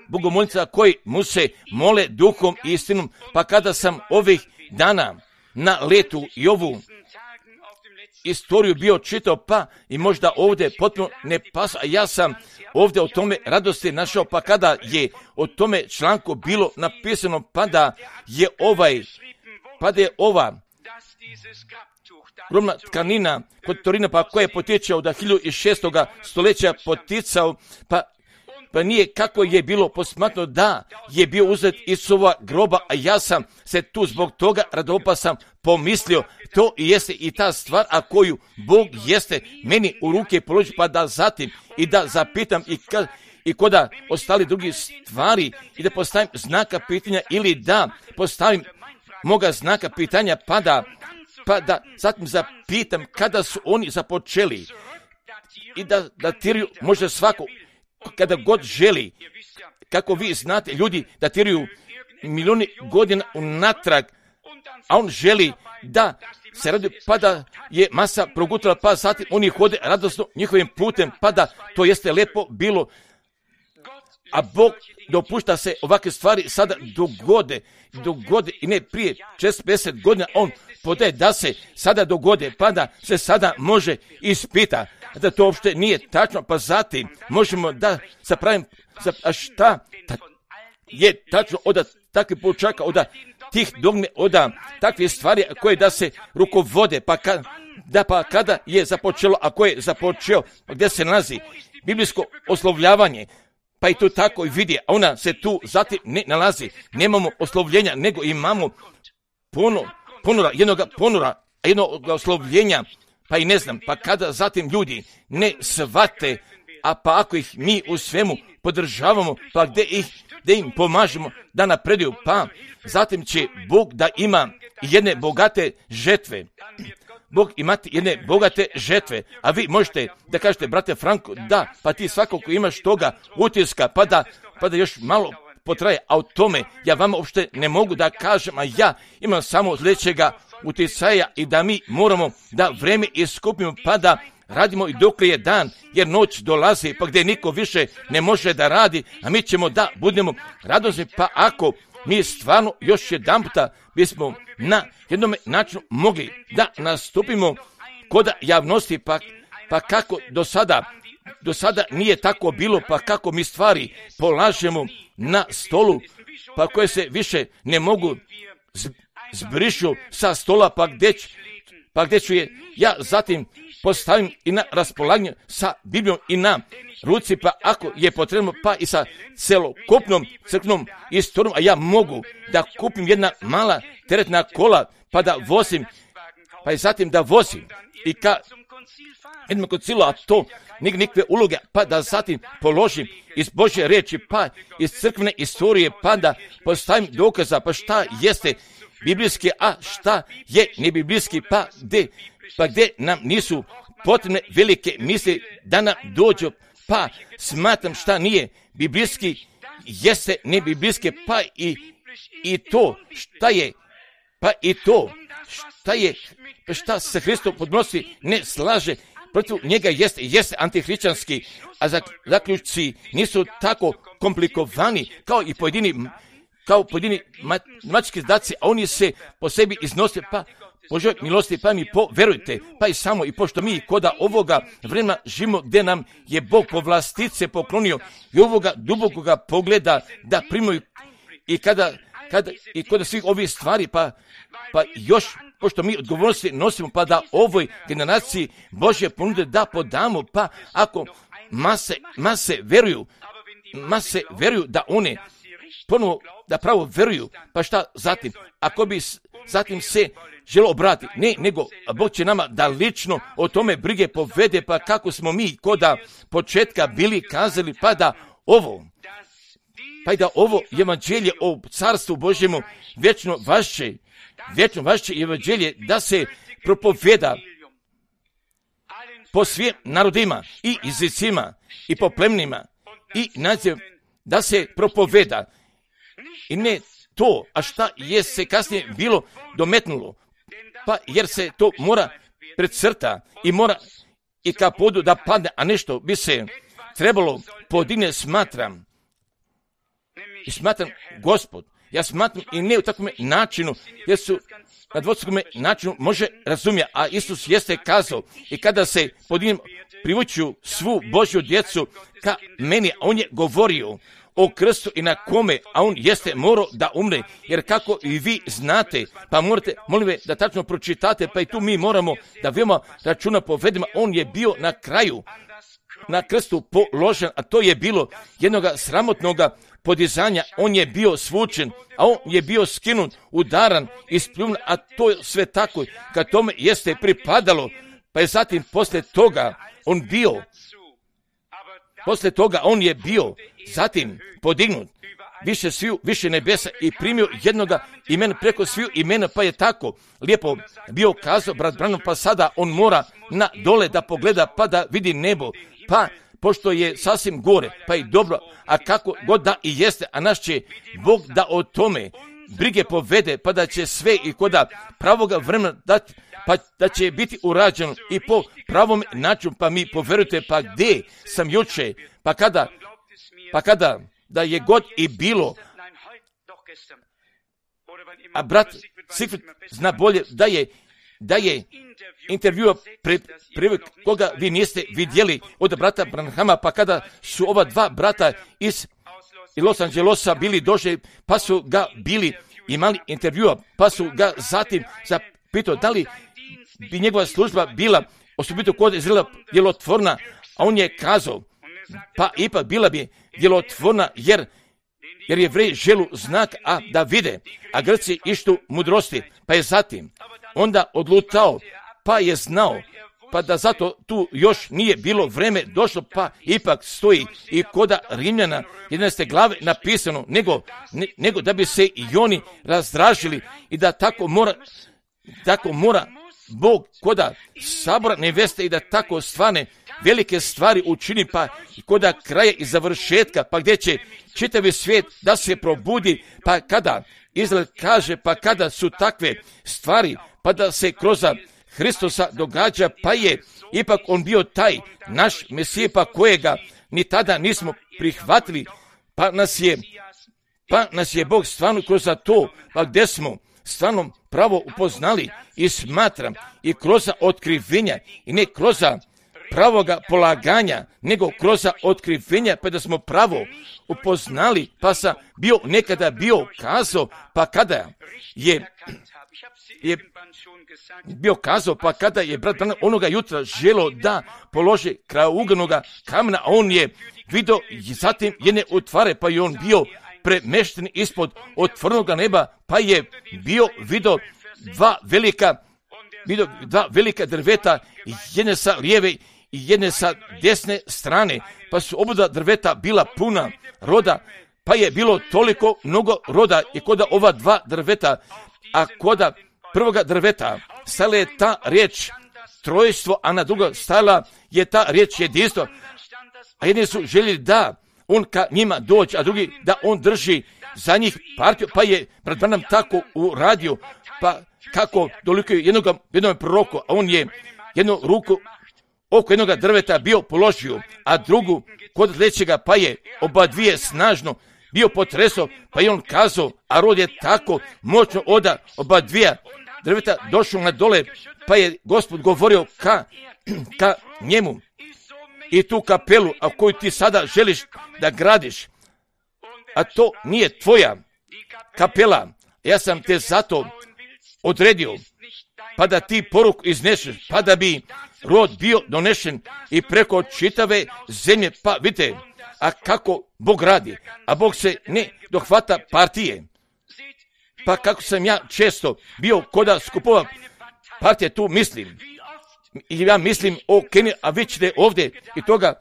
bogomolnica koji mu se mole duhom i istinom. Pa kada sam ovih dana na letu i ovu istoriju bio čitao, pa i možda ovdje potpuno ne pas, a ja sam ovdje o tome radosti našao, pa kada je o tome članku bilo napisano, pa da je ovaj, pa da je ova gromna tkanina kod Torina, pa koja je potječao od hiljadu šestog stoljeća poticao, pa pa nije kako je bilo posmatno da je bio uzet iz sova groba, a ja sam se tu zbog toga radovao, pa sam pomislio, to i jeste i ta stvar, a koju Bog jeste meni u ruke položi, pa da zatim i da zapitam i, ka, i koda ostali drugi stvari i da postavim znaka pitanja ili da postavim moga znaka pitanja, pa da, pa da zatim zapitam kada su oni započeli i da datiraju možda svako kada god želi. Kako vi znate, ljudi datiraju milijuni godina unatrag, a on želi da se radi, pa da je masa progutala, pa zatim oni hode radosno njihovim putem, pa da to jeste lepo bilo. A Bog dopušta se ovakve stvari sada dogode, dogode i ne prije šezdeset pedeset godina on podaje da se sada dogode, pa da se sada može ispita da to uopšte nije tačno, pa zatim možemo da zapravim, a šta ta, je tačno od takvih poučaka, od tih dogme, od takvih stvari koje da se rukovode, pa ka, da pa kada je započelo, a ko je započeo, pa gdje se nalazi biblijsko oslovljavanje, pa i to tako i vidi, a ona se tu zatim ne nalazi. Nemamo oslovljenja, nego imamo puno, ponora, jednog ponora, jednog oslovljenja, pa i ne znam, pa kada zatim ljudi ne shvate, a pa ako ih mi u svemu podržavamo, pa gdje ih, gdje im pomažemo da napreduju, pa zatim će Bog da ima jedne bogate žetve. Bog imati jedne bogate žetve, a vi možete da kažete, brate Franko, da, pa ti svakako imaš toga utiska, pa da, pa da još malo potraje, a o tome ja vama uopšte ne mogu da kažem, a ja imam samo sljedećega uticaja i da mi moramo da vreme iskupimo, pa da radimo i dok je dan, jer noć dolazi, pa gdje niko više ne može da radi, a mi ćemo da budemo radosni, pa ako mi stvarno još jedan puta bismo na jednom načinu mogli da nastupimo kod javnosti, pa, pa kako do sada, do sada nije tako bilo, pa kako mi stvari polažemo na stolu, pa koje se više ne mogu zbrišu sa stola, pa gdje, pa gdje ću je ja zatim postavim i na raspolaganju sa Biblijom i na ruci, pa ako je potrebno, pa i sa celokupnom crkvenom istorijom, a ja mogu da kupim jedna mala teretna kola, pa da vozim, pa i zatim da vozim i ka jednom koncilu, a to nik, nikve uloge, pa da zatim položim iz Božje riječi, pa iz crkvene istorije, pa da postavim dokaza, pa šta jeste biblijski, a šta je nebiblijski, pa gdje, pa gdje nam nisu potrebne velike misli da nam dođu, pa smatram šta nije biblijski, jeste nebiblijske, pa i, i to šta je, pa i to šta je, pa šta se Hristom podnosi ne slaže, protiv njega jeste, jeste antihrišćanski, a zaključci nisu tako komplikovani kao i pojedini, kao pojedini matematički zadaci, a oni se po sebi iznose, pa Božoj milosti, pa mi poverujte, pa i samo i pošto mi koda ovoga vremena živimo gdje nam je Bog povlastice poklonio i ovoga dubokoga pogleda da primaju i kada, kada i kod svih ovih stvari, pa, pa još pošto mi odgovornosti nosimo, pa da ovoj generaciji Božje ponude da podamo, pa ako mase, mase veruju, mase veruju da one ponovo da pravo veruju, pa šta zatim, ako bi zatim se želo obratiti, ne, nego Bog će nama da lično o tome brige povede, pa kako smo mi koda početka bili kazali, pa da ovo, pa i da ovo evanđelje o carstvu Božjemu vječno vaše, vječno vaše evanđelje da se propoveda po svim narodima i jezicima i po plemenima i naziv da se propoveda i ne to, a šta je se kasnije bilo dometnulo, pa jer se to mora precrta i mora i ka podu da padne, a nešto bi se trebalo podigne, smatram i smatram Gospod, ja smatram i ne u takvom načinu, jer su na dvostrukom načinu može razumjeti, a Isus jeste kazao i kada se podigne privuću svu Božju djecu ka meni, a on je govorio o krstu i na kome, a on jeste morao da umre, jer kako i vi znate, pa morate, molim ve, da tačno pročitate, pa i tu mi moramo da veoma računa povedemo, on je bio na kraju, na krstu položen, a to je bilo jednog sramotnog podizanja, on je bio svučen, a on je bio skinut, udaran i spljun, a to je sve tako, kad tome jeste pripadalo, pa je zatim posle toga on bio, posle toga on je bio zatim podignut više sviju, više nebesa i primio jednoga imena preko sviju imena, pa je tako lijepo bio kazao brat Branham, pa sada on mora na dole da pogleda pa da vidi nebo, pa pošto je sasvim gore, pa i dobro, a kako god da i jeste, a naš će Bog da o tome brige povede, pa da će sve i koda pravoga vremena dati, pa da će biti urađeno i po pravom načinu, pa mi poverujte, pa gdje sam juče, pa kada, pa kada, da je god i bilo, a brat Sigfrid zna bolje da je, da je intervjua pre, pre koga vi niste vidjeli od brata Branhama, pa kada su ova dva brata iz Los Angelesa bili došli, pa su ga bili imali intervjua, pa su ga zatim zapitao da li bi njegova služba bila osobito kod Izraela djelotvorna, a on je kazao, pa ipak bila bi djelotvorna, jer jer je vrej želu znak, a da vide, a Grci ištu mudrosti, pa je zatim onda odlutao, pa je znao, pa da zato tu još nije bilo vreme došlo, pa ipak stoji i koda Rimljana jedanaeste glave napisano, nego, ne, nego da bi se i oni razdražili i da tako mora, tako mora Bog koda sabora neveste i da tako stvarne velike stvari učini, pa koda kraja i završetka, pa gdje će čitavi svijet da se probudi, pa kada Izrael kaže, pa kada su takve stvari, pa da se kroz Hristosa događa, pa je ipak on bio taj naš Mesije, pa kojega ni tada nismo prihvatili, pa nas je, pa nas je Bog stvarno kroz to, pa gdje smo stvarno pravo upoznali i smatram i kroz otkrivenja i ne kroz pravoga polaganja, nego kroz otkrivenja, pa da smo pravo upoznali, pa sam bio nekada bio kazao, pa kada je, je bio kazao, pa kada je brat Branham onoga jutra želo da položi krauganoga kamena, a on je vidio zatim jedne otvare, pa je on bio premešten ispod otvorenoga neba, pa je bio vidio dva velika, vidio dva velika drveta, jedne sa lijeve i jedne sa desne strane, pa su oba drveta bila puna roda, pa je bilo toliko mnogo roda i koda ova dva drveta, a koda prvoga drveta stala je ta riječ trojstvo, a na drugo stala je ta riječ jedinstvo, a jedni su željeli da on ka njima dođe, a drugi da on drži za njih partiju, pa je brat Branham tako uradio, pa kako dolikuje jednog, jednog proroku, a on je jednu ruku oko jednog drveta bio položio, a drugu kod lećega, pa je oba dvije snažno bio potreso, pa je on kazao, a rod je tako moćno oda oba dvije drveta došao na dole, pa je Gospod govorio ka, ka njemu i tu kapelu, a koju ti sada želiš da gradiš, a to nije tvoja kapela, ja sam te zato odredio, pa da ti poruku izneseš, pa da bi rod bio donešen i preko čitave zemlje, pa vidite, a kako Bog radi, a Bog se ne dohvata partije, pa kako sam ja često bio koda skupova partije, tu mislim, i ja mislim o Keniji, a vi ćete ovdje i toga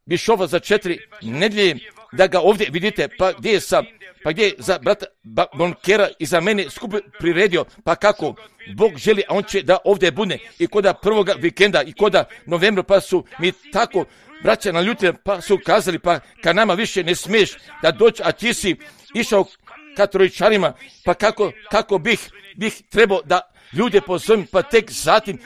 bišova za četiri nedjelje, da ga ovdje vidite, pa gdje je sa, pa gdje je za brata Bonkera i za mene skup priredio, pa kako Bog želi, a on će da ovdje bude i koda prvoga vikenda i koda novembra, pa su mi tako braća naljutili, pa su kazali, pa ka nama više ne smiješ da doći, a ti si išao ka trojičarima, pa kako, kako bih, bih trebao da ljude pozovem, pa tek zatim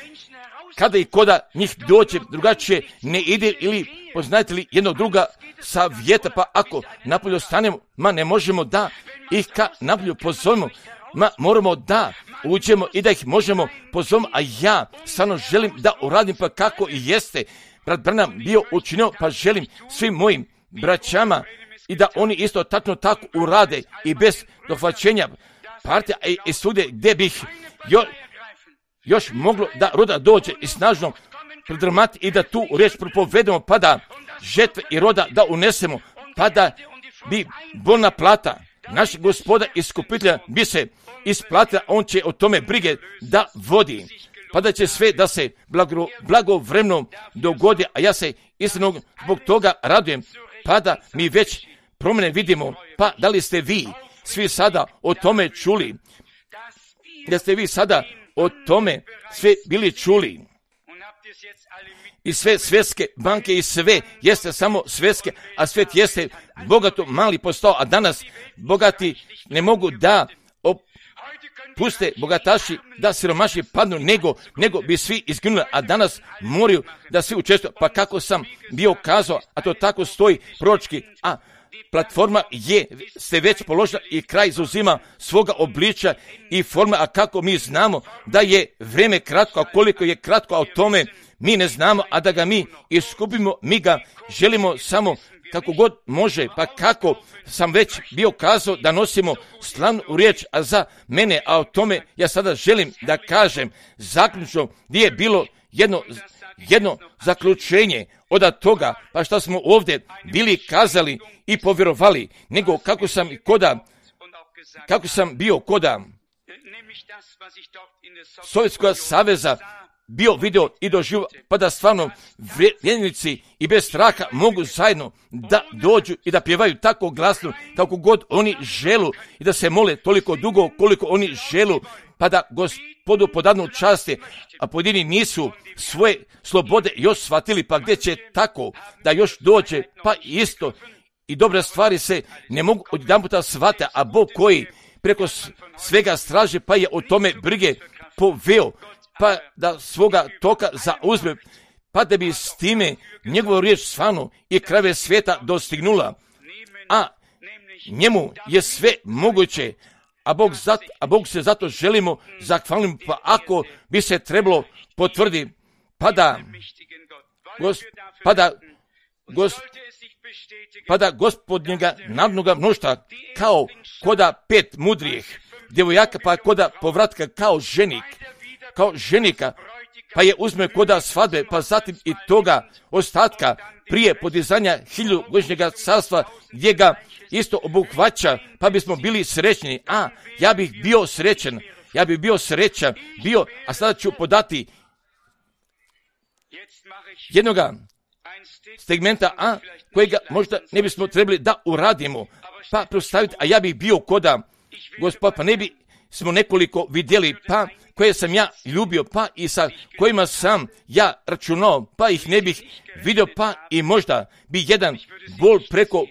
kada i koda njih dođe, drugačije ne ide, ili poznajete li jednog druga savjeta, pa ako napolju stanemo, ma ne možemo da ih ka napolju pozovemo, ma moramo da uđemo i da ih možemo pozovemo, a ja stvarno želim da uradim, pa kako i jeste brat Branham bio učinio, pa želim svim mojim braćama i da oni isto tačno tako urade i bez dohvaćenja partija i, i svugdje gdje bih jo, još moglo da roda dođe i snažno pridrmati i da tu riječ propovedemo, pa da žetve i roda da unesemo, pa da bi bolna plata našeg Gospoda iskupitelja bi se isplatila, on će o tome brige da vodi, pa da će sve da se blago, blagovremeno dogodi, a ja se istino zbog toga radujem, pa da mi već promjene vidimo, pa da li ste vi svi sada o tome čuli, da ste vi sada o tome sve bili čuli i sve svjetske banke i sve jeste samo svjetske, a svijet jeste bogato mali postao, a danas bogati ne mogu da puste bogataši da siromaši padnu, nego, nego bi svi izginuli, a danas moraju da svi učestvuju. Pa kako sam bio kazao, a to tako stoji proročki, a platforma je se već položila i kraj zauzima svoga obličja i forma, a kako mi znamo da je vrijeme kratko, a koliko je kratko, a o tome mi ne znamo, a da ga mi iskupimo, mi ga želimo samo kako god može. Pa kako sam već bio kazao da nosimo slavnu riječ, a za mene, a o tome ja sada želim da kažem zaključno gdje je bilo jedno, jedno zaključenje od toga, pa što smo ovdje bili kazali i povjerovali, nego kako sam koda, kako sam bio koda Sovjetskog saveza bio video i doživio, pa da stvarno vjernici i bez straha mogu zajedno da dođu i da pjevaju tako glasno kako god oni želu i da se mole toliko dugo koliko oni želu, pa da Gospodu podadnu časti, a pojedini nisu svoje slobode još shvatili, pa gdje će tako da još dođe, pa isto i dobre stvari se ne mogu odjedanputa shvate, a Bog koji preko svega straže, pa je o tome brige poveo, pa da svoga toka zauzme, pa da bi s time njegovu riječ stvarno i krajeve svijeta dostignula, a njemu je sve moguće, a Bog, zat, a Bog se zato želimo zahvalimo, pa ako bi se trebalo potvrdi, pa da, gos, pa da, gos, pa da gospodnjega narodnoga mnoštva kao koda pet mudrijih djevojaka, pa koda povratka kao ženik, kao ženika, pa je uzme koda svadbe, pa zatim i toga ostatka prije podizanja hiljugodišnjega carstva gdje ga isto obuhvaća, pa bismo bili srećni. A ja bih bio srećan, ja bih bio srećan, bio, a sada ću podati jednoga segmenta, a kojega možda ne bismo trebali da uradimo, pa prostaviti, a ja bih bio koda Gospod, pa ne bi smo nekoliko vidjeli, pa koje sam ja ljubio, pa i sa kojima sam ja računao, pa ih ne bih vidio, pa i možda bi jedan bol preko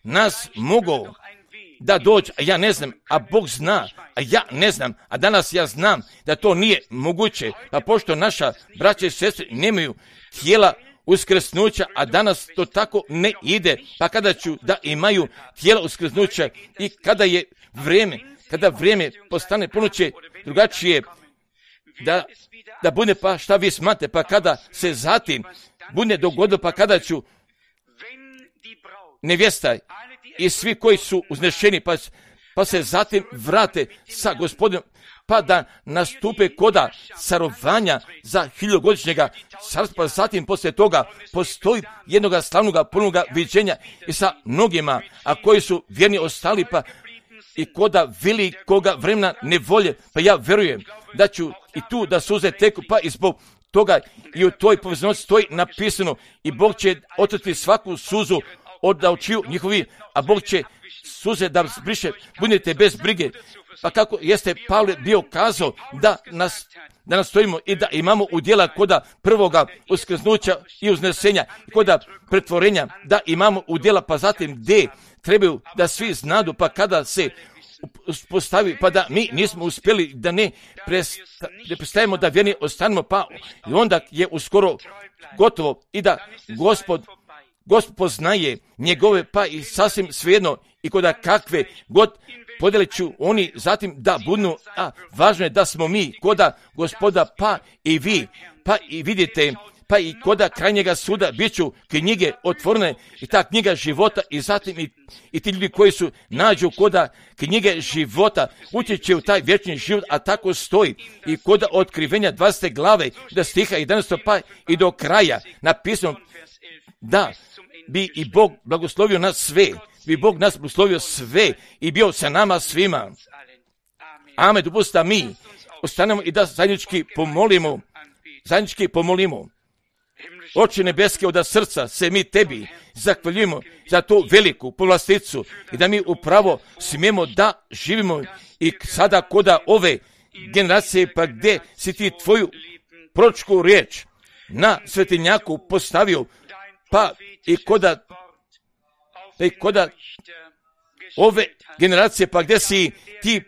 nas mogao da dođe, a ja ne znam, a Bog zna, a ja ne znam, a danas ja znam da to nije moguće, pa pošto naša braća i sestre nemaju tijela uskrsnuća, a danas to tako ne ide, pa kada ću da imaju tijela uskrsnuća i kada je vrijeme, kada vrijeme postane ponuće drugačije, da, da bude, pa šta vi smate, pa kada se zatim bude dogodilo, pa kada ću nevjesta i svi koji su uznešeni, pa, pa se zatim vrate sa Gospodinom, pa da nastupe koda carovanja za hiljogodišnjega carstva, pa zatim poslije toga postoji jednoga slavnoga punoga viđenja i sa mnogima, a koji su vjerni ostali, pa i koda velikoga vremena nevolje, pa ja vjerujem da ću i tu da suze teku, pa i zbog toga i u toj povezanosti stoji napisano i Bog će otrti svaku suzu od očiju njihovi, a Bog će suze da zbriše, budite bez brige. Pa kako jeste Pavle bio kazao da nas, da nas stojimo i da imamo udjela koda prvoga uskrsnuća i uznesenja, i koda pretvorenja, da imamo udjela, pa zatim gdje trebaju da svi znadu, pa kada se postavi, pa da mi nismo uspjeli da ne, presta, ne prestajemo da vjerni ostanemo, pa i onda je uskoro gotovo i da Gospod, Gospod poznaje njegove, pa i sasvim svejedno i koda kakve god podjele ću oni zatim da budu, a važno je da smo mi koda Gospoda, pa i vi, pa i vidite, pa i koda krajnjega suda bit ću knjige otvorene i ta knjiga života i zatim i, i ti ljudi koji su nađu koda knjige života ući će u taj vječni život, a tako stoji i koda otkrivenja dvadesete glave da stiha jedanaestog pa i do kraja napisano da bi i Bog blagoslovio nas sve, bi Bog nas blagoslovio sve i bio sa nama svima. Amen. Dopustite mi ostanemo i da zajednički pomolimo, zajednički pomolimo. Oče nebeske, od srca se mi tebi zahvaljujemo za tu veliku povlasticu i da mi upravo smijemo da živimo i sada koda ove generacije, pa gdje si ti tvoju proročku riječ na svetinjaku postavio, pa i koda, pa i koda ove generacije, pa gdje si ti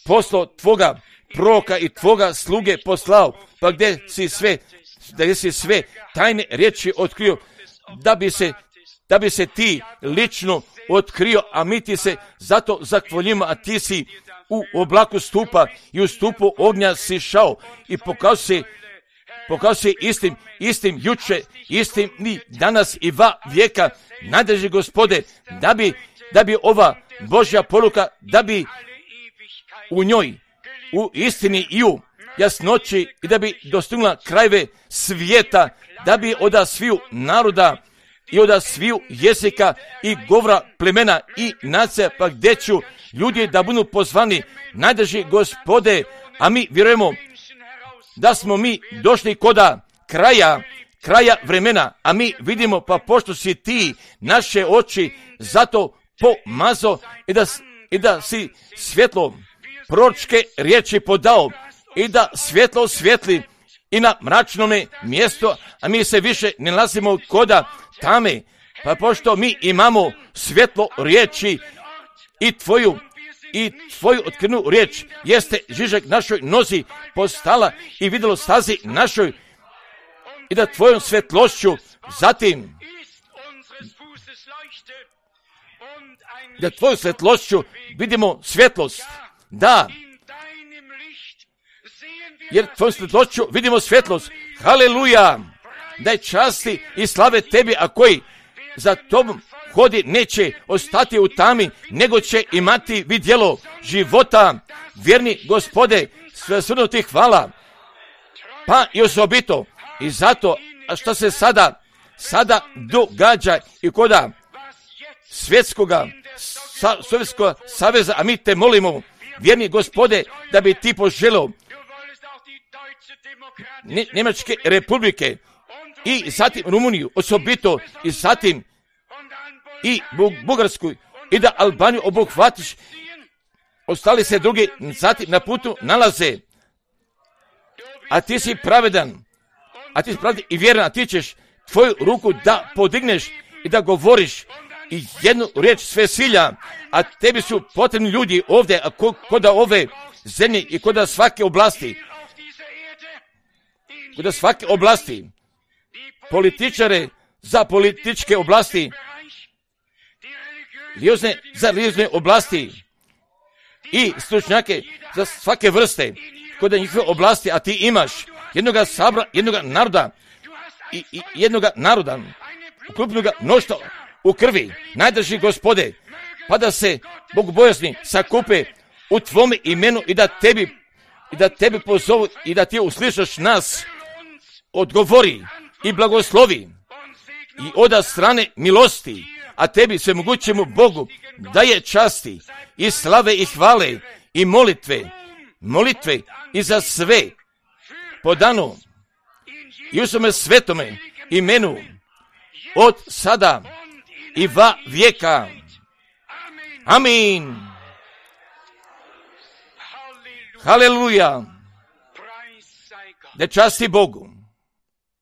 poslao tvoga proroka i tvoga sluge poslao, pa gdje si sve, gdje si sve tajne riječi otkrio, da bi se, da bi se ti lično otkrio, a mi ti se zato zahvaljujemo, a ti si u oblaku stupa i u stupu ognja si šao i pokazao si, pokazao si istim, istim juče, istim ni danas i va vijeka, nadrži Gospode, da bi, da bi ova Božja poruka, da bi u njoj, u istini i u jasnoći i da bi dostignula krajeve svijeta, da bi od sviju naroda i od sviju jezika i govora plemena i nacija, pa gdje ću ljudi da budu pozvani, najdrži Gospode, a mi vjerujemo da smo mi došli koda kraja, kraja vremena, a mi vidimo, pa pošto si ti naše oči zato pomazo i da, i da si svjetlo proročke riječi podao i da svjetlo svijetli i na mračnome mjestu, a mi se više ne nalazimo koda tame, pa pošto mi imamo svjetlo riječi i tvoju i tvoju otkrivenu riječ jeste žižak našoj nozi postala i vidjelo stazi našoj i da tvojom svjetlošću zatim da tvoju svjetlošću vidimo svjetlost, da, jer tvojom svjetlošću vidimo svjetlost, haleluja, daj časti i slave tebi, a koji za tobom hodi neće ostati u tami, nego će imati vidjelo života. Vjerni Gospode, sve srno ti hvala, pa i osobito i zato, a što se sada, sada događa i koda svjetskoga, sa, Sovjetskoga saveza, a mi te molimo, vjerni Gospode, da bi ti poželio Njemačke republike i zatim Rumuniju osobito i zatim i Bugarsku i da Albaniju obuhvatiš, ostali se drugi zatim na putu nalaze, a ti si pravedan, a ti si pravedan i vjeran, a ti ćeš tvoju ruku da podigneš i da govoriš i jednu riječ sve silja, a tebi su potrebni ljudi ovdje, a koda ove zemlje i koda svake oblasti, koda svake oblasti, političare za političke oblasti, religiozne za religiozne oblasti i stručnjake za svake vrste, kod njihove oblasti, a ti imaš jednoga sabra, jednoga naroda i, i jednoga naroda, ukrupnoga mnoštva u krvi, najdrži Gospode, pa da se bogobojazni sakupe u tvome imenu i da tebi, i da tebi pozovu i da ti uslišaš nas, odgovori i blagoslovi i oda strane milosti, a tebi svemogućemu Bogu daje časti i slave i hvale i molitve, molitve i za sve po danu i u svome svetome imenu od sada i va vijeka. Amin. Haleluja. Da časti Bogu.